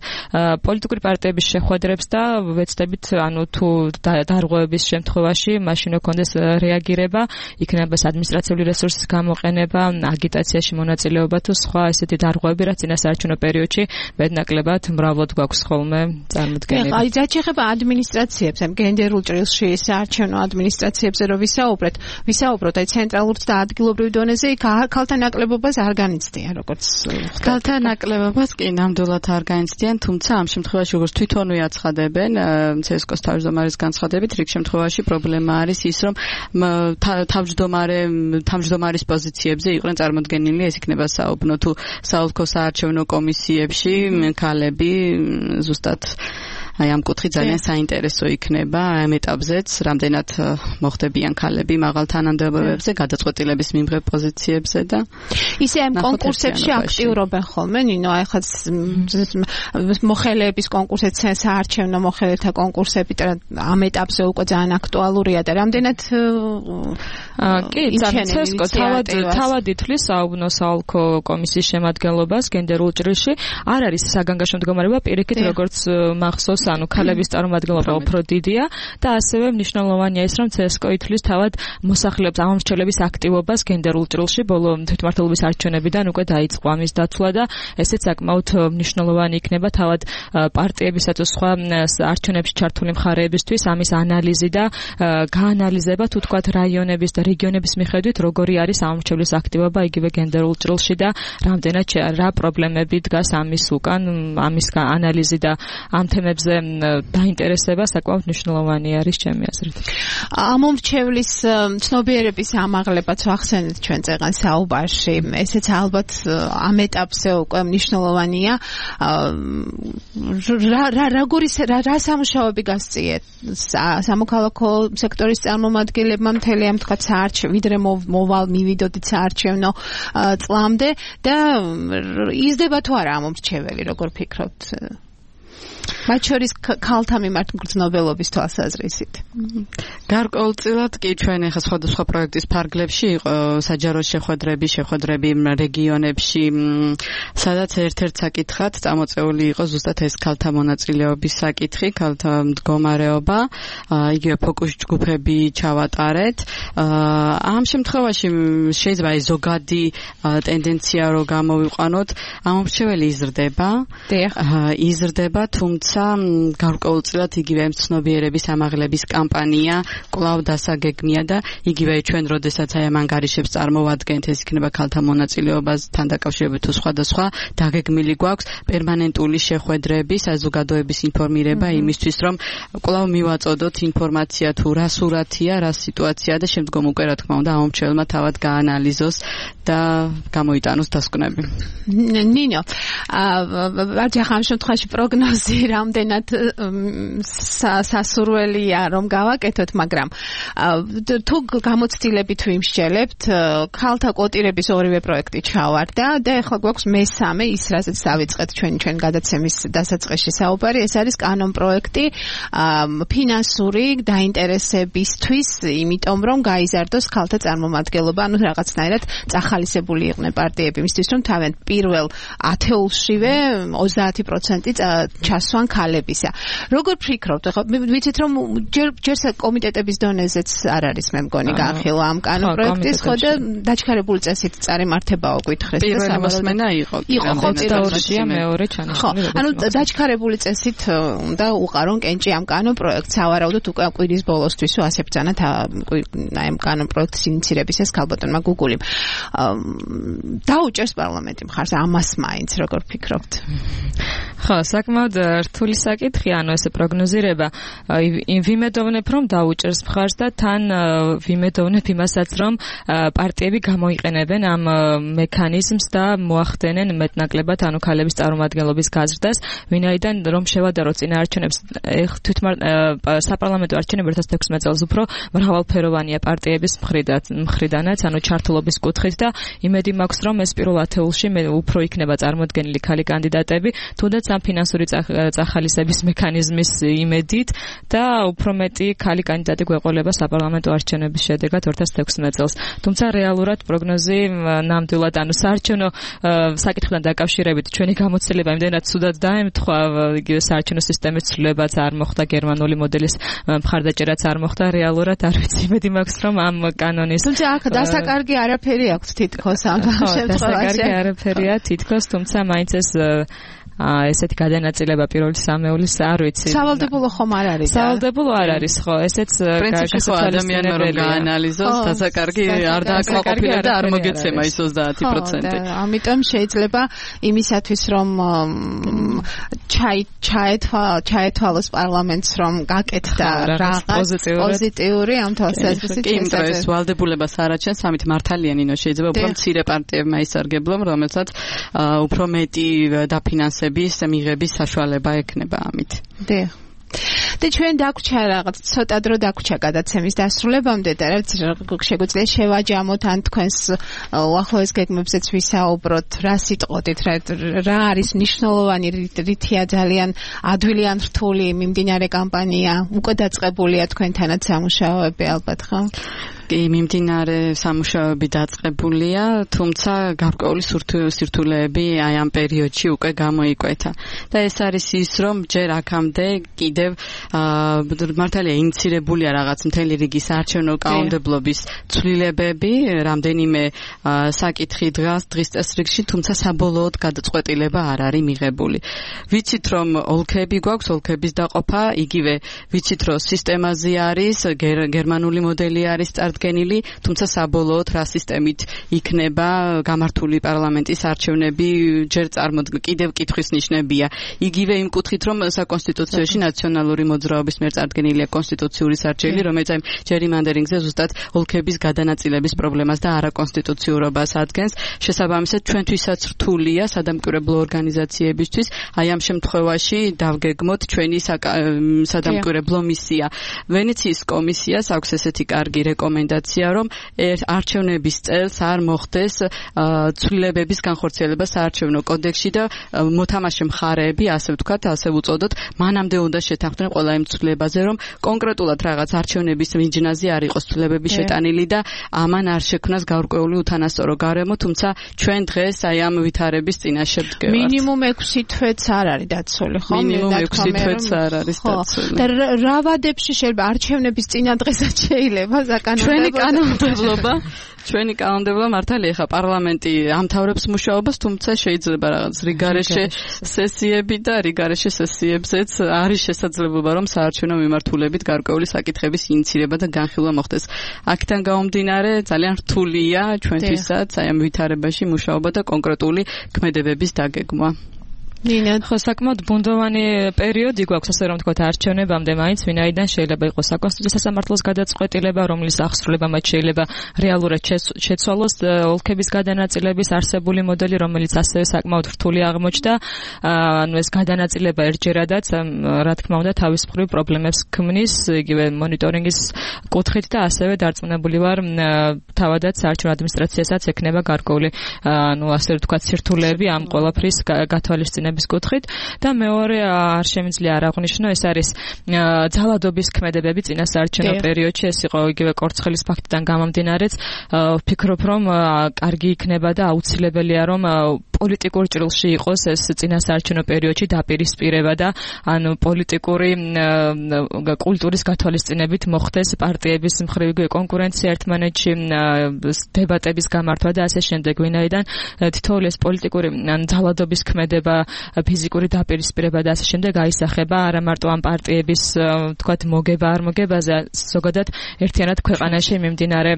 პოლიტიკური პარტიების შეხვედრებს და ვეცდებით, ანუ თუ დარღვევების შემთხვევაში მაშინ ოქონდეს რეაგირება, იქნება ადმინისტრაციული რესურსის გამოყენება, აგიტაციაში მონაწილეობა თუ სხვა ესეთი დარღვევები, რაც წინასაარჩევნო პერიოდში მეტნაკლებად მრავლად გვაქვს ხოლმე წარმოდგენილი. აი, რაც შეეხება ადმინისტრაციებს, ამ გენდერულ ჭრილში საარჩევნო ადმინისტრაციებზე რო ვისაუბროთ, აი ცენტრალურ და ადგილობრივ დონეზე იქ ქალთა ნაკლებობას არ განიცდიან, როგორც ქალთა ნაკლებობას კი ნამდვილად არ განიცდიან, თუმცა ამ შემთხვევაში როგორც თვითონვე აცხადებენ CSKO-ს თავმჯდომარის განცხადებით, რიგ შემთხვევაში პრობლემა არის ის, რომ თავმჯდომარის პოზიციებზე იყვნენ წარმოდგენილი, ეს იქნება საუბნო თუ საოლქო საარჩევნო კომისიებში ქალები ზუსტად აი ამ კუთხით ძალიან საინტერესო იქნება ამ ეტაპზეც, რამდენად მოხდებიან ქალები მაღალ თანამდებობებზე, გადაწყვეტილების მიმღებ პოზიციებზე და ისე ამ კონკურსებში აქტიურობენ ხოლმე, ნინო, აი ხაც მოხელეების კონკურსიც, საარჩევნო მოხელეთა კონკურსები ამ ეტაპზე უკვე ძალიან აქტუალურია და რამდენად კი, CSKO თავად ითვლის საუბნო საოლქო კომისიის შემადგენლობას გენდერულ ჭრილში, არ არის საგანგაშო მდგომარეობა პირიქით როგორც მახსოვს, ანუ ქალების წარმომადგენლობა უფრო დიდია და ასევე მნიშვნელოვანია ის, რომ CSKO ითვლის თავად მოსახლეობის ამომრჩევლების აქტივობას გენდერულ ჭრილში ბოლო თვითმმართველობის არჩევნებიდან უკვე დაიწყო ამის დაცვა და ესეც საკმაოდ მნიშვნელოვანი იქნება თავად პარტიებისა თუ სხვა არჩევნებში ჩართული მხარეებისთვის ამის ანალიზი და გაანალიზება თუ თქვათ რაიონების და რეგიონების მიხედვით როგორი არის ამომრჩევლის აქტივობა იგივე გენდერულ ჭრილში და რამდენად რა პრობლემები დგას ამის უკან, ამის ანალიზი და ამ თემებზე დაინტერესება საკმაოდ მნიშვნელოვანი არის ჩემი აზრით. ამომრჩევლის ცნობიერების ამაღლებაც ვახსენეთ ჩვენ წეგან საუბარში. ესეც ალბათ ამ ეტაპზე უკვე მნიშვნელოვანია. რა სამუშაოები გასწიეთ სამოქალაქო სექტორის წარმომადგენლებმა მთელი ამ თქვა ვიდრე მივიდოდით საარჩევნო წლამდე და იზრდება თუ არა ამომრჩეველი, როგორ ფიქრობთ? მათ შორის ქალთა მიმართ მგრძნობელობის თვალსაზრისით. გარკვეულწილად კი ჩვენ ახლა სხვადასხვა პროექტის ფარგლებში იყო საჯარო შეხვედრები რეგიონებში, სადაც ერთ-ერთ საკითხად წამოწეული იყო ზუსტად ეს ქალთა მონაწილეობის საკითხი, ქალთა მდგომარეობა, იგივე ფოკუს ჯგუფები ჩავატარეთ. ამ შემთხვევაში შეიძლება ეს ზოგადი ტენდენცია რო გამოვიყვანოთ, ამომრჩეველი იზრდება, თუმცა გარკვეულწილად იგივე ცნობიერების ამაღლების კამპანია კვლავ დასაგეგმია და იგივე ჩვენ როდესაც აი ამ ანგარიშებს წარმოვადგენთ, ეს იქნება ქალთა მონაწილეობასთან დაკავშირებით თუ სხვადასხვა დაგეგმილი გვაქვს პერმანენტული შეხვედრები, საზოგადოების ინფორმირება იმისთვის, რომ კვლავ მივაწოდოთ ინფორმაცია თუ რა სურათია, რა სიტუაცია და შემდგომ უკვე რა თქმა უნდა ამომრჩეველმა თავად გაანალიზოს და გამოიტანოს დასკვნები. ნინო, ამ შემთხვევაში პროგნოზი რამდენად სასურველია რომ გავაკეთოთ, მაგრამ თუ გამოცდილებით ვიმსჯელებთ, ქალთა კვოტირების ორივე პროექტი ჩავარდა და ეხლა გვაქვს მესამე, ის რასაც დავიწყეთ ჩვენ გადაცემის დასაწყისში საუბარი, ეს არის კანონ პროექტი ფინანსური დაინტერესებისთვის, იმიტომ რომ გაიზარდოს ქალთა წარმომადგენლობა, ანუ რაღაცნაირად წახალისებული იყვნენ პარტიები იმისთვის, რომ თავიანთ პირველ ათეულშივე 30% დასვან ქალებისა. როგორ ფიქრობთ, ხო, ვიცით რომ ჯერ კომიტეტების დონეზეც არ არის მე მგონი განხილვა ამ კანონპროექტის, ხო და დაჩქარებული წესით წარიმართებაო გითხრეს და პირველი მოსმენა იყო 22-ია მეორე ჩანიშნული. ანუ დაჩქარებული წესით უნდა უყარონ კენჭი ამ კანონპროექტს, ავარაუდოთ უკვე კვირის ბოლოსთვისო ასე ბრძანათ ამ კანონპროექტის ინიცირების ეს ქალბატონმა გუგულიმ. დაუჭერს პარლამენტი მხარს ამას მაინც როგორ ფიქრობთ? ხო, საკმაოდ რთული საკითხია, ანუ ესე პროგნოზირება. ვიმედოვნებ რომ დაუჭერს მხარს და თან ვიმედოვნებ იმასაც რომ პარტიები გამოიყენებენ ამ მექანიზმს და მოახდენენ მეტნაკლებად ანუ ქალების წარმომადგენლობის გაზრდას, ვინაიდან რომ შევადაროთ წინა არჩევნებს საპარლამენტო არჩევნები 2016 წელს უფრო მრავალფეროვანია პარტიების მხრიდანაც, ანუ ჩართულობის კუთხით და იმედი მაქვს რომ ეს პირველ ათეულში უფრო იქნება წარმოდგენილი ქალი კანდიდატები, თუნდაც ამ ფინანსური წახალისების მექანიზმის იმედით და უფრო მეტი ქალი კანდიდატი გვეყოლება საპარლამენტო არჩევნების შედეგად 2016 წელს. თუმცა რეალურად პროგნოზი ნამდვილად ანუ საარჩევნო საკითხთან დაკავშირებით ჩვენი გამოცდილება იმდენად ცუდად დაემთხვა, იგივე საარჩევნო სისტემის ცვლილებაც არ მოხდა, გერმანული მოდელის მხარდაჭერაც არ მოხდა, რეალურად არ ვიცი, იმედი მაქვს რომ ამ კანონის თუმცა აქ დასაკარგი არაფერი აქვს თითქოს ამ შემთხვევაში. დასაკარგი არაფერია თითქოს, თუმცა მაინც ესეთი გადანაწილება პირველი სამეულის არ ვიცი. სავალდებულო ხომ არ არის? სავალდებულო არ არის, ხო, ესეც ადამიანმა რომ გაანალიზოს, დასაკარგი არ დააკმაყოფილა და არ მოგეცემა ის 30%. ამიტომ შეიძლება იმისათვის რომ ჩაეთვალოს პარლამენტს რომ გაკეთდა რაღაც პოზიტიური ამ თვალსაზრისით. კი, იმიტომ ეს ვალდებულებას არ აჩენს, ამით მართალია ნინო, შეიძლება უფრო მცირე პარტიებმა ისარგებლონ, რომელსაც უფრო მეტი დაფინანსების მიღების საშუალება ექნება ამით. დიახ. და ჩვენ დაგვჭა რაღაც ცოტა დრო დაგვჭა გადაცემის დასრულებამდე და რაც შეგვიძლია შევაჯამოთ ან თქვენს უახლოეს გეგმებზეც ვისაუბროთ, რა სიტყოდით, რა არის მნიშვნელოვანი, რითია ძალიან ადვილი ან რთული მიმდინარე კამპანია, უკვე დაწყებულია თქვენთანაც სამუშაოები ალბათ, ხო? კი, მიმდინარე სამუშაოები დაწყებულია, თუმცა გარკვეული სირთულეები აი ამ პერიოდში უკვე გამოიკვეთა. და ეს არის ის, რომ ჯერ აქამდე კიდევ მართალია ინიცირებულია რაღაც მთელი რიგი საარჩევნო კანონმდებლობის ცვლილებები, რამდენიმე საკითხი დღის წესრიგში, თუმცა საბოლოოდ გადაწყვეტილება არ არის მიღებული. ვიცით რომ ოლქები გვაქვს, ოლქების დაყოფა, იგივე ვიცით რომ სისტემაზე არის, გერმანული მოდელი არის წარდგენილი, თუმცა საბოლოოდ რა სისტემით იქნება გამართული პარლამენტის არჩევნები, ჯერ კიდევ კითხვის ნიშნებია. იგივე იმ კუთხით რომ საკონსტიტუციაში ნაციონალური მოძრაობის მიერ წარდგენილია კონსტიტუციური სარჩელი, რომელიც აი ჯერიმანდერინგზე ზუსტად ოლქების გადანაწილების პრობლემას და არაკონსტიტუციურობას ადგენს. შესაბამისად, ჩვენთვისაც რთულია სადამკვირვებლო ორგანიზაციებისთვის აი ამ შემთხვევაში დავგეგმოთ ჩვენი სადამკვირვებლო მისია. ვენეციის კომისიას აქვს ესეთი კარგი რეკომენდაცია, რომ არჩევნების წელს არ მოხდეს ცვლილებების განხორციელება საარჩევნო კოდექსში და მოთამაშე მხარეები, ასე ვთქვათ, ასე ვუწოდოთ, მანამდე უნდა შეთანხმდნენ ყველა იმ ცვლილებაზე, რომ კონკრეტულად რაღაც არჩევნების მიჯნაზე არ იყოს ცვლილებები შეტანილი და ამან არ შექმნას გარკვეული უთანასწორო გარემო, თუმცა ჩვენ დღეს აი ამ ვითარების წინაშე ვდგევართ. მინიმუმ 6 თვეც არ არის დაცული, ხო? მინიმუმ 6 თვეც არ არის დაცული. და რა ვადებში შეიძლება არჩევნების წინა დღესაც შეიძლება საკანონმდებლობა? ჩვენი კანონმდებლობა მართალია ხა პარლამენტი ამთავრებს მუშაობას, თუმცა შეიძლება რაღაც რიგარეშე სესიები და რიგარეშე სესიებზეც არის შესაძლებლობა რომ საარჩევნო მიმართულებით გარკვეული საკითხების ინიცირება და განხილვა მოხდეს. აქედან გამომდინარე ძალიან რთულია ჩვენთვისაც აი ამ ვითარებაში მუშაობა და კონკრეტული ქმედებების დაგეგმვა. ნინა, ხო, საკმაოდ ბუნდოვანი პერიოდი გვაქვს, ასე რომ ვთქვათ, არჩევნებამდე მაინც, ვინაიდან შეიძლება იყოს საკონსტიტუციო სასამართლოს გადაწყვეტილება, რომლის აღსრულებამაც შეიძლება რეალურად შეცვალოს ოლქების გადანაწილების არსებული მოდელი, რომელიც ასევე საკმაოდ რთული აღმოჩნდა. ანუ ეს გადანაწილება ერთჯერადაც, რა თქმა უნდა, თავის მხრივ პრობლემებს ქმნის, იგივე მონიტორინგის კუთხით და ასევე დარწმუნებული ვარ, თავადაც საარჩევნო ადმინისტრაციასაც ექნება გარკვეული, ანუ ასე ვთქვათ, სირთულეები ამ ყველაფრის გათვალისწინებაში კუთხით და მეორე არ შემიძლია არ აღვნიშნო, ეს არის ძალადობის ქმედებები წინა საარჩევნო პერიოდში, ეს იყო იგივე კორცხელის ფაქტიდან გამომდინარეც, ვფიქრობ რომ კარგი იქნება და აუცილებელია რომ პოლიტიკურ ჭრილში იყოს ეს წინასაარჩევნო პერიოდში დაპირისპირება და ანუ პოლიტიკური კულტურის გათვალისწინებით მოხდეს პარტიების მხრივ კონკურენცია ერთმანეთში, დებატების გამართვა და ასე შემდეგ, ვინაიდან თითოეული ეს პოლიტიკური ძალადობის ქმედება, ფიზიკური დაპირისპირება და ასე შემდეგ აისახება არა მარტო ამ პარტიების თქვათ მოგება არ მოგებაზე, ზოგადად ერთიანად ქვეყანაში მიმდინარე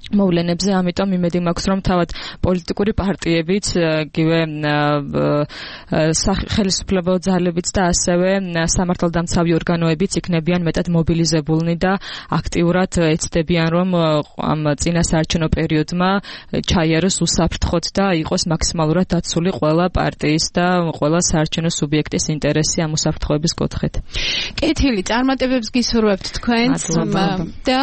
მოვლენებზე, ამიტომ იმედი მაქვს, რომ თავად პოლიტიკური პარტიებიც, იგივე ხელისუფლებო ძალებიც და ასევე სამართალდამცავი ორგანოებიც იქნებიან მეტად მობილიზებულნი და აქტიურად ეცდებიან, რომ ამ წინასაარჩევნო პერიოდმა ჩაიაროს უსაფრთხოდ და იყოს მაქსიმალურად დაცული ყველა პარტიის და ყველა საარჩევნო სუბიექტის ინტერესი ამ უსაფრთხოების კუთხით. კეთილი წარმატებებს გისურვებთ თქვენს და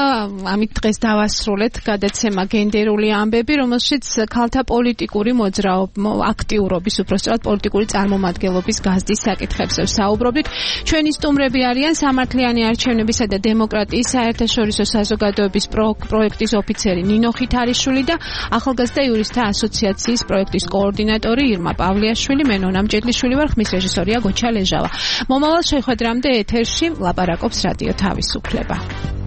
ამით დღეს დავასრულეთ გადაცემა გენდერული ამბები, რომელშიც ქალთა პოლიტიკური აქტიურობის, უпростоად პოლიტიკური წარმომადგენლობის გაზრდის საკითხებზე ვსაუბრობთ. ჩვენი სტუმრები არიან სამართლიანი არჩევნებისა და დემოკრატიის საერთაშორისო საზოგადოების პროექტის ოფიცერი ნინო ხითარიშვილი და ახალგაზრდა იურისტთა ასოციაციის პროექტის კოორდინატორი ირმა პავლიაშვილი. მე ნონა მჭედლიშვილი ვარ, ხმის რეჟისორია გოჩა ლეჟავა. მომავალ შეხვედრამდე ეთერში ლაპარაკობს რადიო თავისუფლება.